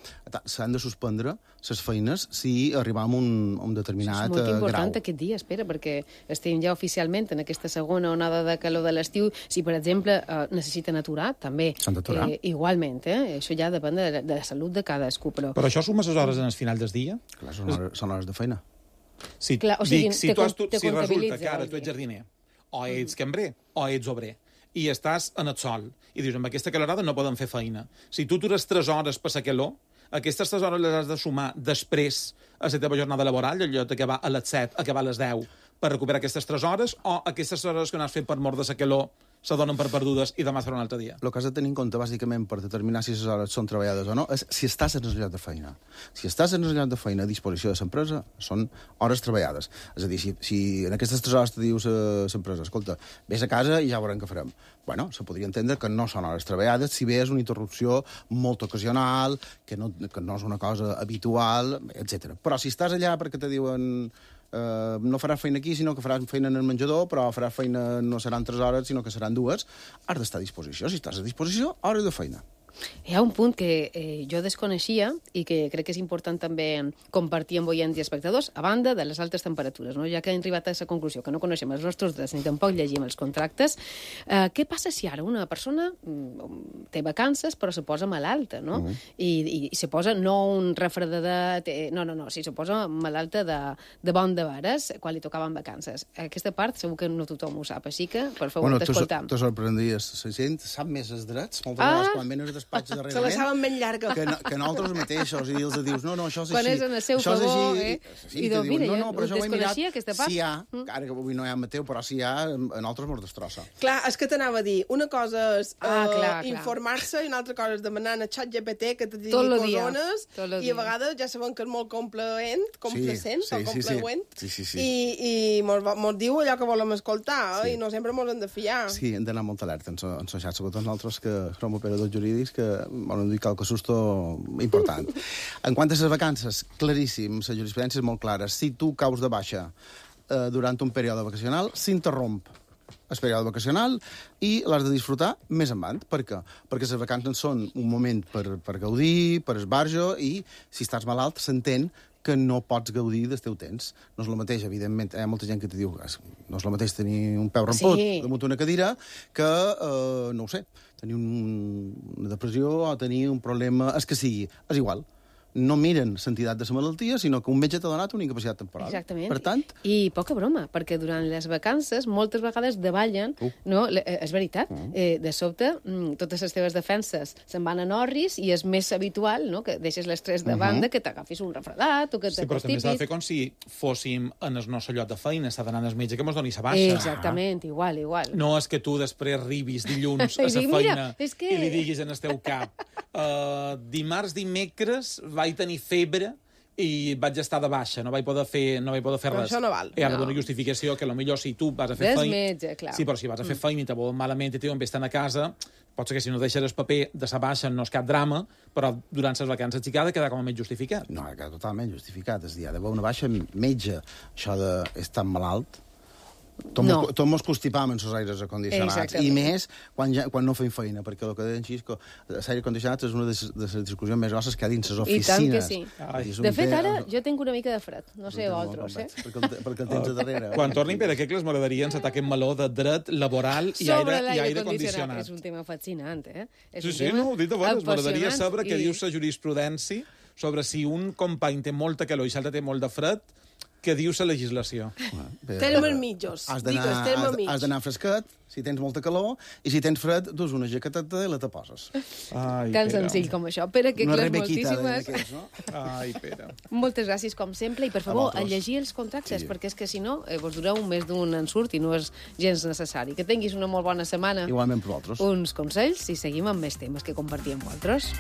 s'han de suspendre les feines si arribem a un determinat grau. És molt important aquest dia, espera, perquè estem ja oficialment en aquesta segona onada de calor de l'estiu. Si, per exemple, necessiten aturar, també. S'han d'aturar. Igualment, això ja depèn de la salut de cadascú. Però això sumes les hores en el final del dia? Clar, són hores de feina. Si resulta que ara tu ets jardiner, o ets cambrer, o ets obrer, i estàs en el sol, i dius, amb aquesta calorada no poden fer feina. Si tu atures 3 hores per la calor, aquestes 3 hores les has de sumar després a la teva jornada laboral, allò d'acabar a les 7, acabar a les 10, per recuperar aquestes 3 hores, o aquestes hores que no has fet per mort de la calor se donen per perdudes i demà serà un altre dia? El que has de tenir en compte, bàsicament, per determinar si les hores són treballades o no, és si estàs en el lloc de feina. Si estàs en el lloc de feina a disposició de l'empresa, són hores treballades. És a dir, si en aquestes 3 hores te dius l'empresa, escolta, vés a casa i ja veurem què farem. Bueno, se podria entendre que no són hores treballades, si bé és una interrupció molt ocasional, que no és una cosa habitual, etc. Però si estàs allà perquè te diuen... no faràs feina aquí, sinó que faràs feina en el menjador, però faràs feina no seran 3 hores, sinó que seran 2, has d'estar a disposició. Si estàs a disposició, hores de feina. Hi ha un punt que jo desconeixia i que crec que és important també compartir amb oients i espectadors, a banda de les altes temperatures, no? Ja que hem arribat a aquesta conclusió, que no coneixem els nostres drets ni tampoc llegim els contractes, què passa si ara una persona té vacances però se posa malalta, no? I se posa no un refredadet, no, si se posa malalta de bon de veres quan li tocaven vacances. Aquesta part segur que no tothom ho sap, així que per favor t'escoltam. Te sorprendries, la gent sap més els drets, moltes vegades quan venen a despatx darrerament. Se la saben ben llarga. Que nosaltres mateixos, i els dius, no, això és així. Quan és en el seu favor, I te diuen, no, però això ho he mirat. Si hi ha, ara que avui no hi ha Mateu, però si hi ha, a nosaltres mos destrossa. Clar, és que t'anava a dir, una cosa és informar-se i una altra cosa és demanar a ChatGPT que te digui cosones, i a vegades ja sabem que és molt complacent o complacent, i mos diu allò que volem escoltar, i no sempre mos hem de fiar. Sí, hem d'anar molt alerta en la xarxa, sobretot nosaltres que som operadors jurídics, que volen dir qualque susto important. En quant a les vacances, claríssim, la jurisprudència és molt clara. Si tu caus de baixa durant un període vacacional, s'interromp el període vacacional i l'has de disfrutar més endavant. Per què? Perquè les vacances són un moment per gaudir, per esbarjo, i si estàs malalt s'entén que no pots gaudir del teu temps. No és el mateix, evidentment, hi ha molta gent que te diu no és el mateix tenir un peu ramput damunt una cadira que, no ho sé, tenir una depressió o tenir un problema, és que sigui, és igual. No miren l'entitat de la malaltia, sinó que un metge t'ha donat una incapacitat temporal. Exactament. Per tant... I poca broma, perquè durant les vacances moltes vegades davallen, no? És veritat, de sobte totes les teves defenses se'n van a orris i és més habitual, no?, que deixes l'estrès de banda, que t'agafis un refredat o que t'acostipis. Sí, però també s'ha de fer com si fóssim en el nostre lloc de feina, s'ha d'anar al metge que mos doni sa baixa. Exactament, igual. No és que tu després arribis dilluns a la feina i li diguis en el teu cap dimarts, dimecres vaig tenir febre i vaig estar de baixa, no vaig poder fer res. Això no val. Hi ha una justificació que potser si tu vas a fer feina... Metge, clar. Sí, però si vas a fer feina i te volen malament i te diuen vés-te'n a casa, pot ser que si no deixes el paper de sa baixa no és cap drama, però durant les vacances sí que ha de quedar com a més justificat. No, ha de quedar totalment justificat. És a dir, ha d'haver una baixa metge. Això d'estar malalt Tot mos constipam en els aires acondicionats. Exactament. I més quan no fem feina, perquè el que deien Xisco, l'aire condicionat és una de les discussions més grosses que hi ha dins les oficines. I tant que sí. I De fet, ara jo tinc una mica de fred. No sé vosaltres, Perquè el tens a darrere. Quan tornin Pere Quecles m'agradaria encetar aquest meló de dret laboral i aire condicionat. És un tema fascinant, eh? Sí, no, ho dic de bones. M'agradaria saber què diu la jurisprudència sobre si un company té molta calor i l'altre té molt de fred, què diu la legislació. Termes mitjos. Has d'anar fresquet, si tens molta calor, i si tens fred, dus una jaqueteta i la te poses. Tan senzill com això. Pere Quecles, moltíssimes. Ai, Pere. Moltes gràcies, com sempre, i per favor, a llegir els contractes, perquè és que si no, vos dureu més d'un ensurt i no és gens necessari. Que tinguis una molt bona setmana. Igualment per vosaltres. Uns consells i seguim amb més temes que compartim amb vosaltres.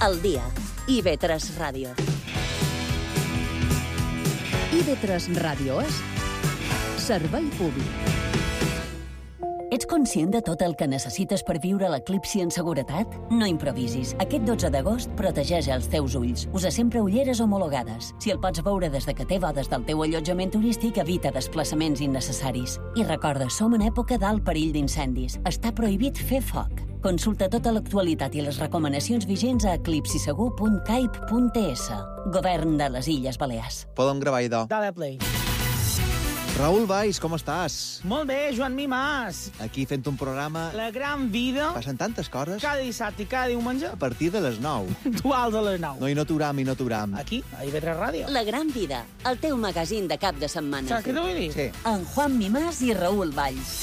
El dia. IB3 Ràdio. IB3 Ràdio és servei públic. Ets conscient de tot el que necessites per viure l'eclipsi en seguretat? No improvisis. Aquest 12 d'agost protegeix els teus ulls. Usa sempre ulleres homologades. Si el pots veure des de que té bodes del teu allotjament turístic, evita desplaçaments innecessaris. I recorda, som en època d'alt perill d'incendis. Està prohibit fer foc. Consulta tota l'actualitat i les recomanacions vigents a eclipsisegur.caip.es. Govern de les Illes Balears. Podem gravar, idò. Dale play. Raül Valls, com estàs? Molt bé, Joan Mimàs. Aquí fent un programa... La gran vida. Passen tantes coses. Cada dissabte i cada diumenge. A partir de les 9. Duals a les 9. No, i no t'uram. Aquí, a IB3 Ràdio. La gran vida, el teu magazín de cap de setmana. Saps què t'ho vull dir? Sí. En Juan Mimàs i Raül Valls.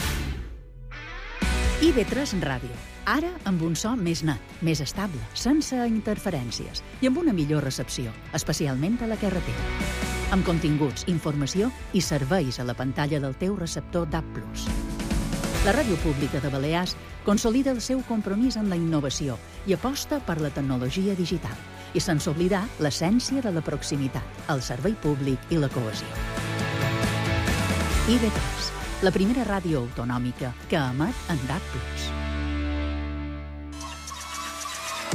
IB3 Ràdio. Ara amb un so més net, més estable, sense interferències i amb una millor recepció, especialment a la carretera. Amb continguts, informació i serveis a la pantalla del teu receptor DAB+. La Ràdio Pública de Balears consolida el seu compromís amb la innovació i aposta per la tecnologia digital, i sense oblidar l'essència de la proximitat, el servei públic i la cohesió. IB3, la primera ràdio autonòmica que emet en DAB+.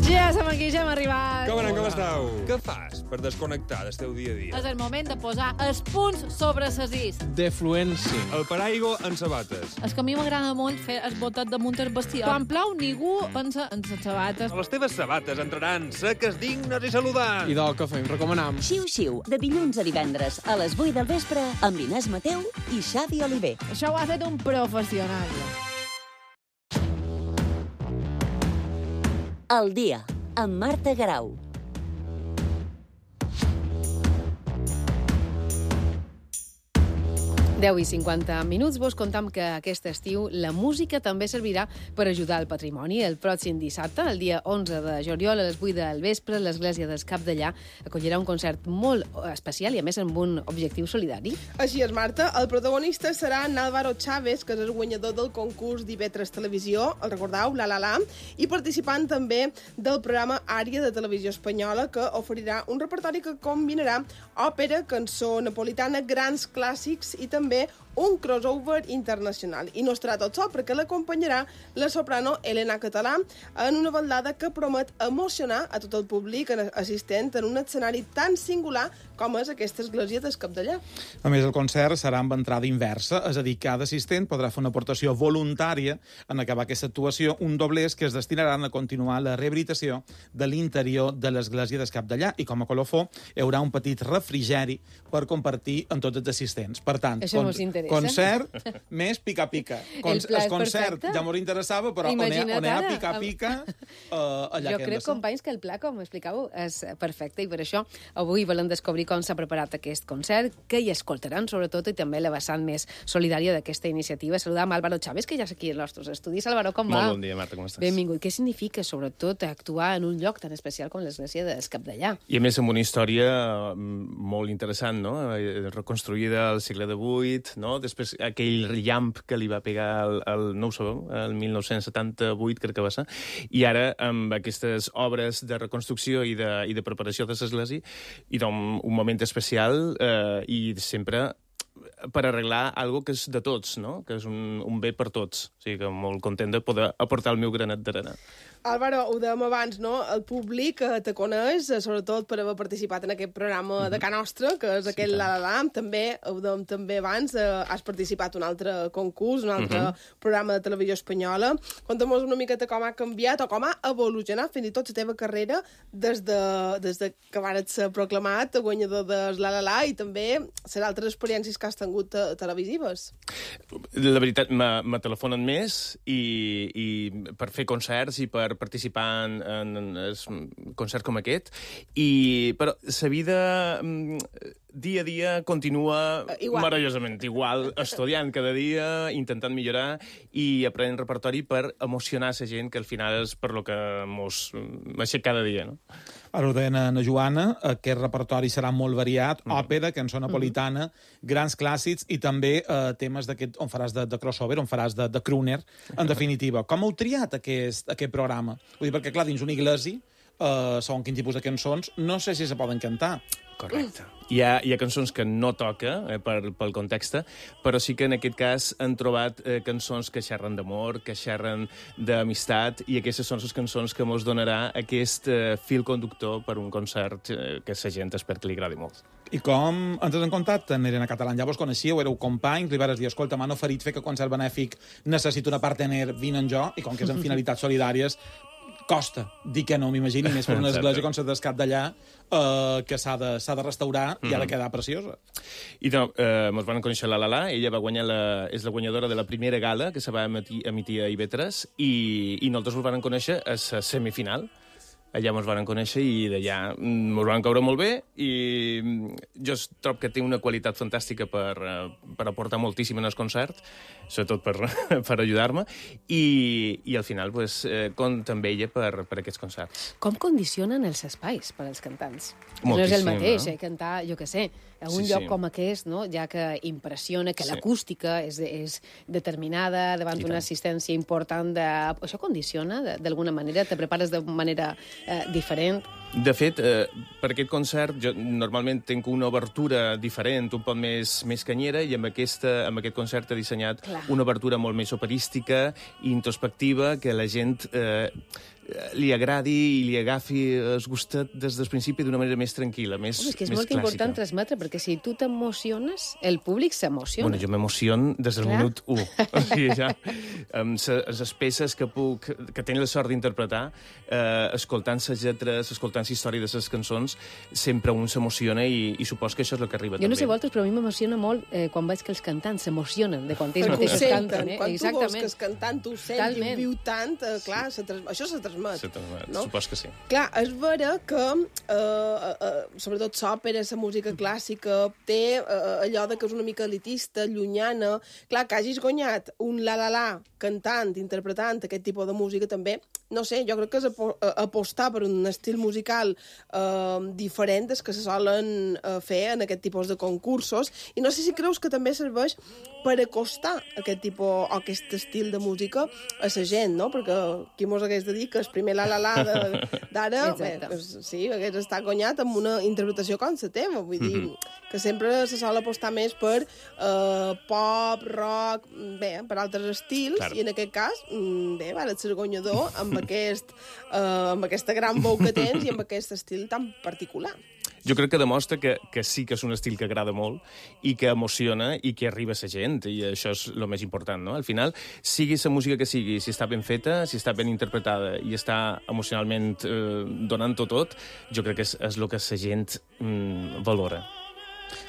Ja som aquí, ja hem arribat. Com anem, com esteu? Què fas per desconnectar del teu dia a dia? És el moment de posar els punts sobre ses is. Defluència. El paraigua en sabates. És que a mi m'agrada molt fer el botet damunt el vestido. Quan plou, ningú pensa en les sabates. Les teves sabates entraran seques, dignes i saludants. I del que fem, recomanam. Xiu-xiu, de dilluns a divendres a les 8 del vespre amb Inés Mateu i Xavi Oliver. Això ho ha fet un professional. El dia, amb Marta Garau. 10 i 50 minuts. Vos contam que aquest estiu la música també servirà per ajudar el patrimoni. El pròxim dissabte, el dia 11 de juliol, a les 8 del vespre, l'Església dels Capdellà acollirà un concert molt especial i, a més, amb un objectiu solidari. Així és, Marta. El protagonista serà Álvaro Chávez, que és el guanyador del concurs d'IV3 Televisió, el recordeu, La, i participant també del programa Àrea de Televisió Espanyola, que oferirà un repertori que combinarà òpera, cançó napolitana, grans clàssics i també un crossover internacional. I no estarà tot sol, perquè l'acompanyarà la soprano Elena Català en una ballada que promet emocionar a tot el públic assistent en un escenari tan singular com és aquesta església del Capdellà. A més, el concert serà amb entrada inversa, és a dir, cada assistent podrà fer una aportació voluntària en acabar aquesta actuació, un doblers que es destinaran a continuar la rehabilitació de l'interior de l'església del Capdellà, i com a colofó hi haurà un petit refrigeri per compartir amb tots els assistents. Per tant, concert més pica-pica. El concert ja m'ho interessava, però on hi ha pica-pica allà. Jo crec, companys, que el pla, com explicàveu, és perfecte, i per això avui volem descobrir com s'ha preparat aquest concert, que hi escoltaran, sobretot, i també la vessant més solidària d'aquesta iniciativa. Saludam Álvaro Chávez, que ja és aquí als nostres estudis. Álvaro, com va? Molt bon dia, Marta, com estàs? Benvingut. Què significa, sobretot, actuar en un lloc tan especial com l'església del Capdellà? I a més, amb una història molt interessant, no? Reconstruïda al segle XVIII, no? Després aquell llamp que li va pegar no ho sabeu, el 1978, crec que va ser, i ara amb aquestes obres de reconstrucció i de preparació de l'església, i doncs un moment especial i sempre per arreglar algo que és de tots, no? Que és un bé per tots. O sigui que molt content de poder aportar el meu granet d'arena. Álvaro, ho dèiem abans, no? El públic te coneix, sobretot per haver participat en aquest programa de Ca Nostra, que és aquell La La La. També, ho dèiem també abans, has participat en un altre concurs, un altre programa de televisió espanyola. Conta'm una miqueta com ha canviat o com ha evolucionat fins i tot la teva carrera des de que vares ser proclamat guanyador de La La La i també les altres experiències que has tingut televisives. La veritat, me telefonen més i per fer concerts i per participar en concerts com aquest, però la vida dia a dia continua meravellosament igual, estudiant cada dia, intentant millorar i aprenent repertori per emocionar la gent, que al final és per lo que mos aixeca cada dia, no? Ara ho deien a Joana, aquest repertori serà molt variat, òpera, cançó napolitana, grans clàssics i també temes d'aquest on faràs de crossover, on faràs de crooner, en definitiva. Com heu triat aquest programa? Vull dir, perquè, clar, dins una iglesia, segons quin tipus de cançons, no sé si se poden cantar. Correcte. Hi ha cançons que no toca pel context, però sí que en aquest cas han trobat cançons que xerren d'amor, que xerren d'amistat, i aquestes són les cançons que mos donarà aquest fil conductor per un concert que la gent espera que li agradi molt. I com entres en contacte? Eren a Català, llavors coneixíeu, éreu companys, li vares dir, escolta, m'han oferit fer que concert benèfic, necessito una partener, vine en jo, i com que és en finalitats solidàries, costa dir que no, m'imagini, més per una església com la d'Escat d'allà, que s'ha de restaurar i ha de quedar preciosa. I ens van conèixer la Lala, ella va guanyar és la guanyadora de la primera gala que se va emitir a IB3 i nosaltres ens van conèixer a la semifinal. Allà ens van conèixer i d'allà ens van caure molt bé i jo trobo que té una qualitat fantàstica per aportar moltíssim en el concert, sobretot per ajudar-me, i al final compta amb ella per aquests concerts. Com condicionen els espais per als cantants? Moltíssim, no és el mateix, cantar, jo què sé, a un lloc com aquest, no? Ja que impressiona, que l'acústica és determinada davant d'una assistència important. Això condiciona d'alguna manera? Te prepares de manera diferent? De fet, per aquest concert jo normalment tinc una obertura diferent, un poc més canyera, i amb aquest concert he dissenyat una obertura molt més operística i introspectiva, que la gent li agradi i li agafi el gustet des del principi d'una manera més tranquil·la, més clàssica. És que és molt important transmetre, perquè si tu t'emociones, el públic s'emociona. Bueno, jo m'emociono des del minut 1. O sigui, ja, amb les peces que tenen la sort d'interpretar, escoltant les lletres, escoltant la història de les cançons, sempre un s'emociona i supos que això és el que arriba també. Jo no sé vosaltres, però a mi m'emociona molt quan veig que els cantants s'emocionen de quan ells mateixos canten. Quan tu veus que el cantant tu sents i ho viu tant, clar, això se transmet. No? Supos que sí. Clar, és vera que sobretot l'òpera, la música clàssica, té allò de que és una mica elitista, llunyana. Clar, que hagis guanyat un la-la-la cantant, interpretant aquest tipus de música també, no sé, jo crec que és apostar per un estil musical diferent des que se solen fer en aquest tipus de concursos, i no sé si creus que també serveix per acostar aquest tipus o aquest estil de música a la gent, no? Perquè qui mos hagués de dir que el primer la-la-la d'ara sí, hagués estat guanyat amb una interpretació com la teva, vull dir que sempre se sol apostar més per pop, rock, bé, per altres estils, i en aquest cas, bé, vares ser guanyador amb aquesta gran veu que tens i amb aquest estil tan particular. Jo crec que demostra que sí que és un estil que agrada molt i que emociona i que arriba a la gent, i això és el més important, no? Al final, sigui la música que sigui, si està ben feta, si està ben interpretada i està emocionalment donant-ho tot, jo crec que és el que la gent valora.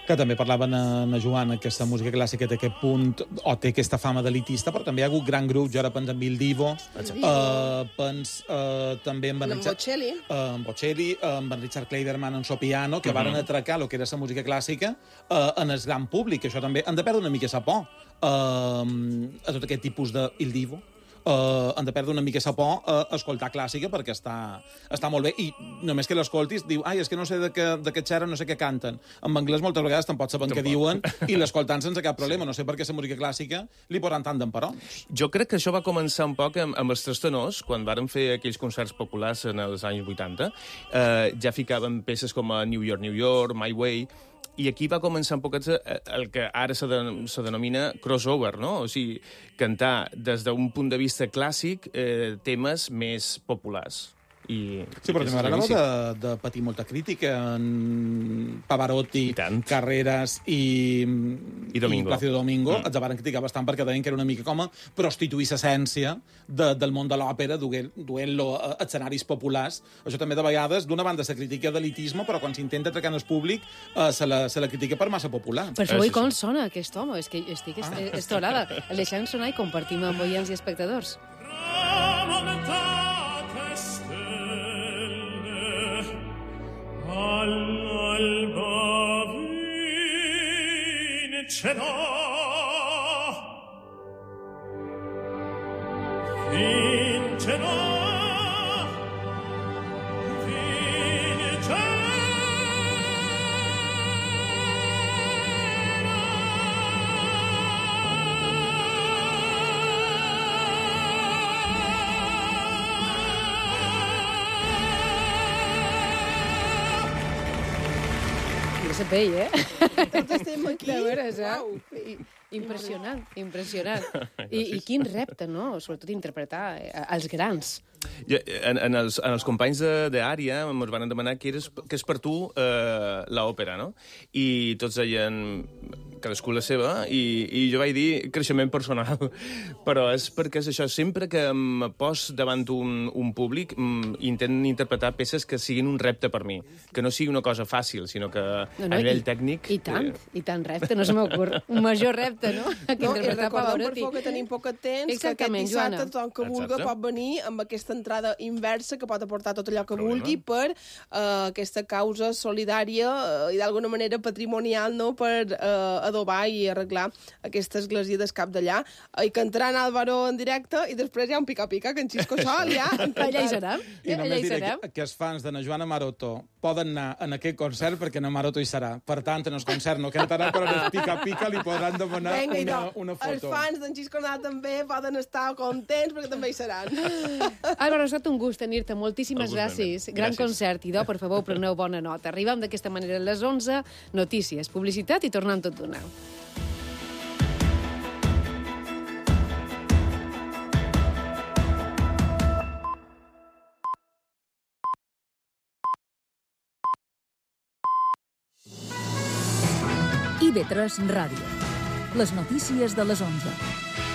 Que també parlaven a Joana, que aquesta música clàssica té aquest punt, o té aquesta fama d'elitista, però també hi ha hagut gran grups, jo ara penso en Il Divo, també en Bocelli, amb en Richard Clayderman en so piano, que varen atracar el que era la música clàssica en el gran públic, que això també han de perdre una mica la por a tot aquest tipus de Il Divo. Han de perdre una mica la por a escoltar clàssica perquè està molt bé, i només que l'escoltis diu, ai, és que no sé de què xerren, no sé què canten. En anglès moltes vegades tampoc saben què diuen i l'escoltant sense cap problema. No sé per què la música clàssica li posen tant d'emperons. Jo crec que això va començar un poc amb els tres tenors, quan varen fer aquells concerts populars en els anys 80. Ja ficaven peces com a New York, My Way, I aquí va començar un poquet el que ara se denomina crossover, no? O sigui, cantar des d'un punt de vista clàssic temes més populars. Sí, però m'agrada de patir molta crítica en Pavarotti, Carreras i Plácido Domingo. Els van criticar bastant perquè deien que era una mica com a prostituir l'essència del món de l'òpera, duent-lo a escenaris populars. Això també de vegades, d'una banda, se critica d'elitisme, però quan s'intenta atracar en el públic se la critica per massa popular. Per això, com sona aquest home? És que estic estorada. El deixem sonar i compartim amb oients i espectadors. All'alba vincerà, vincerà, vincerà. Se pell, Tots estem aquí. De veres, Impressionant, impressionant. I quin repte, no? Sobretot interpretar els grans. En els companys d'Ària ens van demanar què és per tu l'òpera, no? I tots deien cadascú la seva, i jo vaig dir creixement personal. Però és perquè és això, sempre que em pos davant un públic, intento interpretar peces que siguin un repte per mi, que no sigui una cosa fàcil, sinó que a nivell tècnic... I tant repte, no se m'ocorr. Un major repte, no? Que interpretar Pavarotti. Per que tenim poc temps, que aquest dissabte tothom que vulgui pot venir amb aquesta entrada inversa que pot aportar tot allò que vulgui per aquesta causa solidària i d'alguna manera patrimonial, no?, per adobar i arreglar aquesta església del cap d'allà. I cantaran Álvaro en directe i després hi ha un pica-pica que en Xisco Sol ja... Allà hi serem. I només diré que els fans de na Joana Maroto poden anar en aquest concert perquè na Maroto hi serà. Per tant, en el concert no cantarà, però en el pica-pica li podran demanar una foto. Els fans d'en Xisco Nadal també poden estar contents perquè també hi seran. Álvaro, ha estat un gust tenir-te. Moltíssimes gràcies. Gran concert. Idò, per favor, preneu bona nota. Arribem d'aquesta manera a les 11. Notícies, publicitat i tornem tot d'una. IB3 Ràdio. Les notícies de les 11.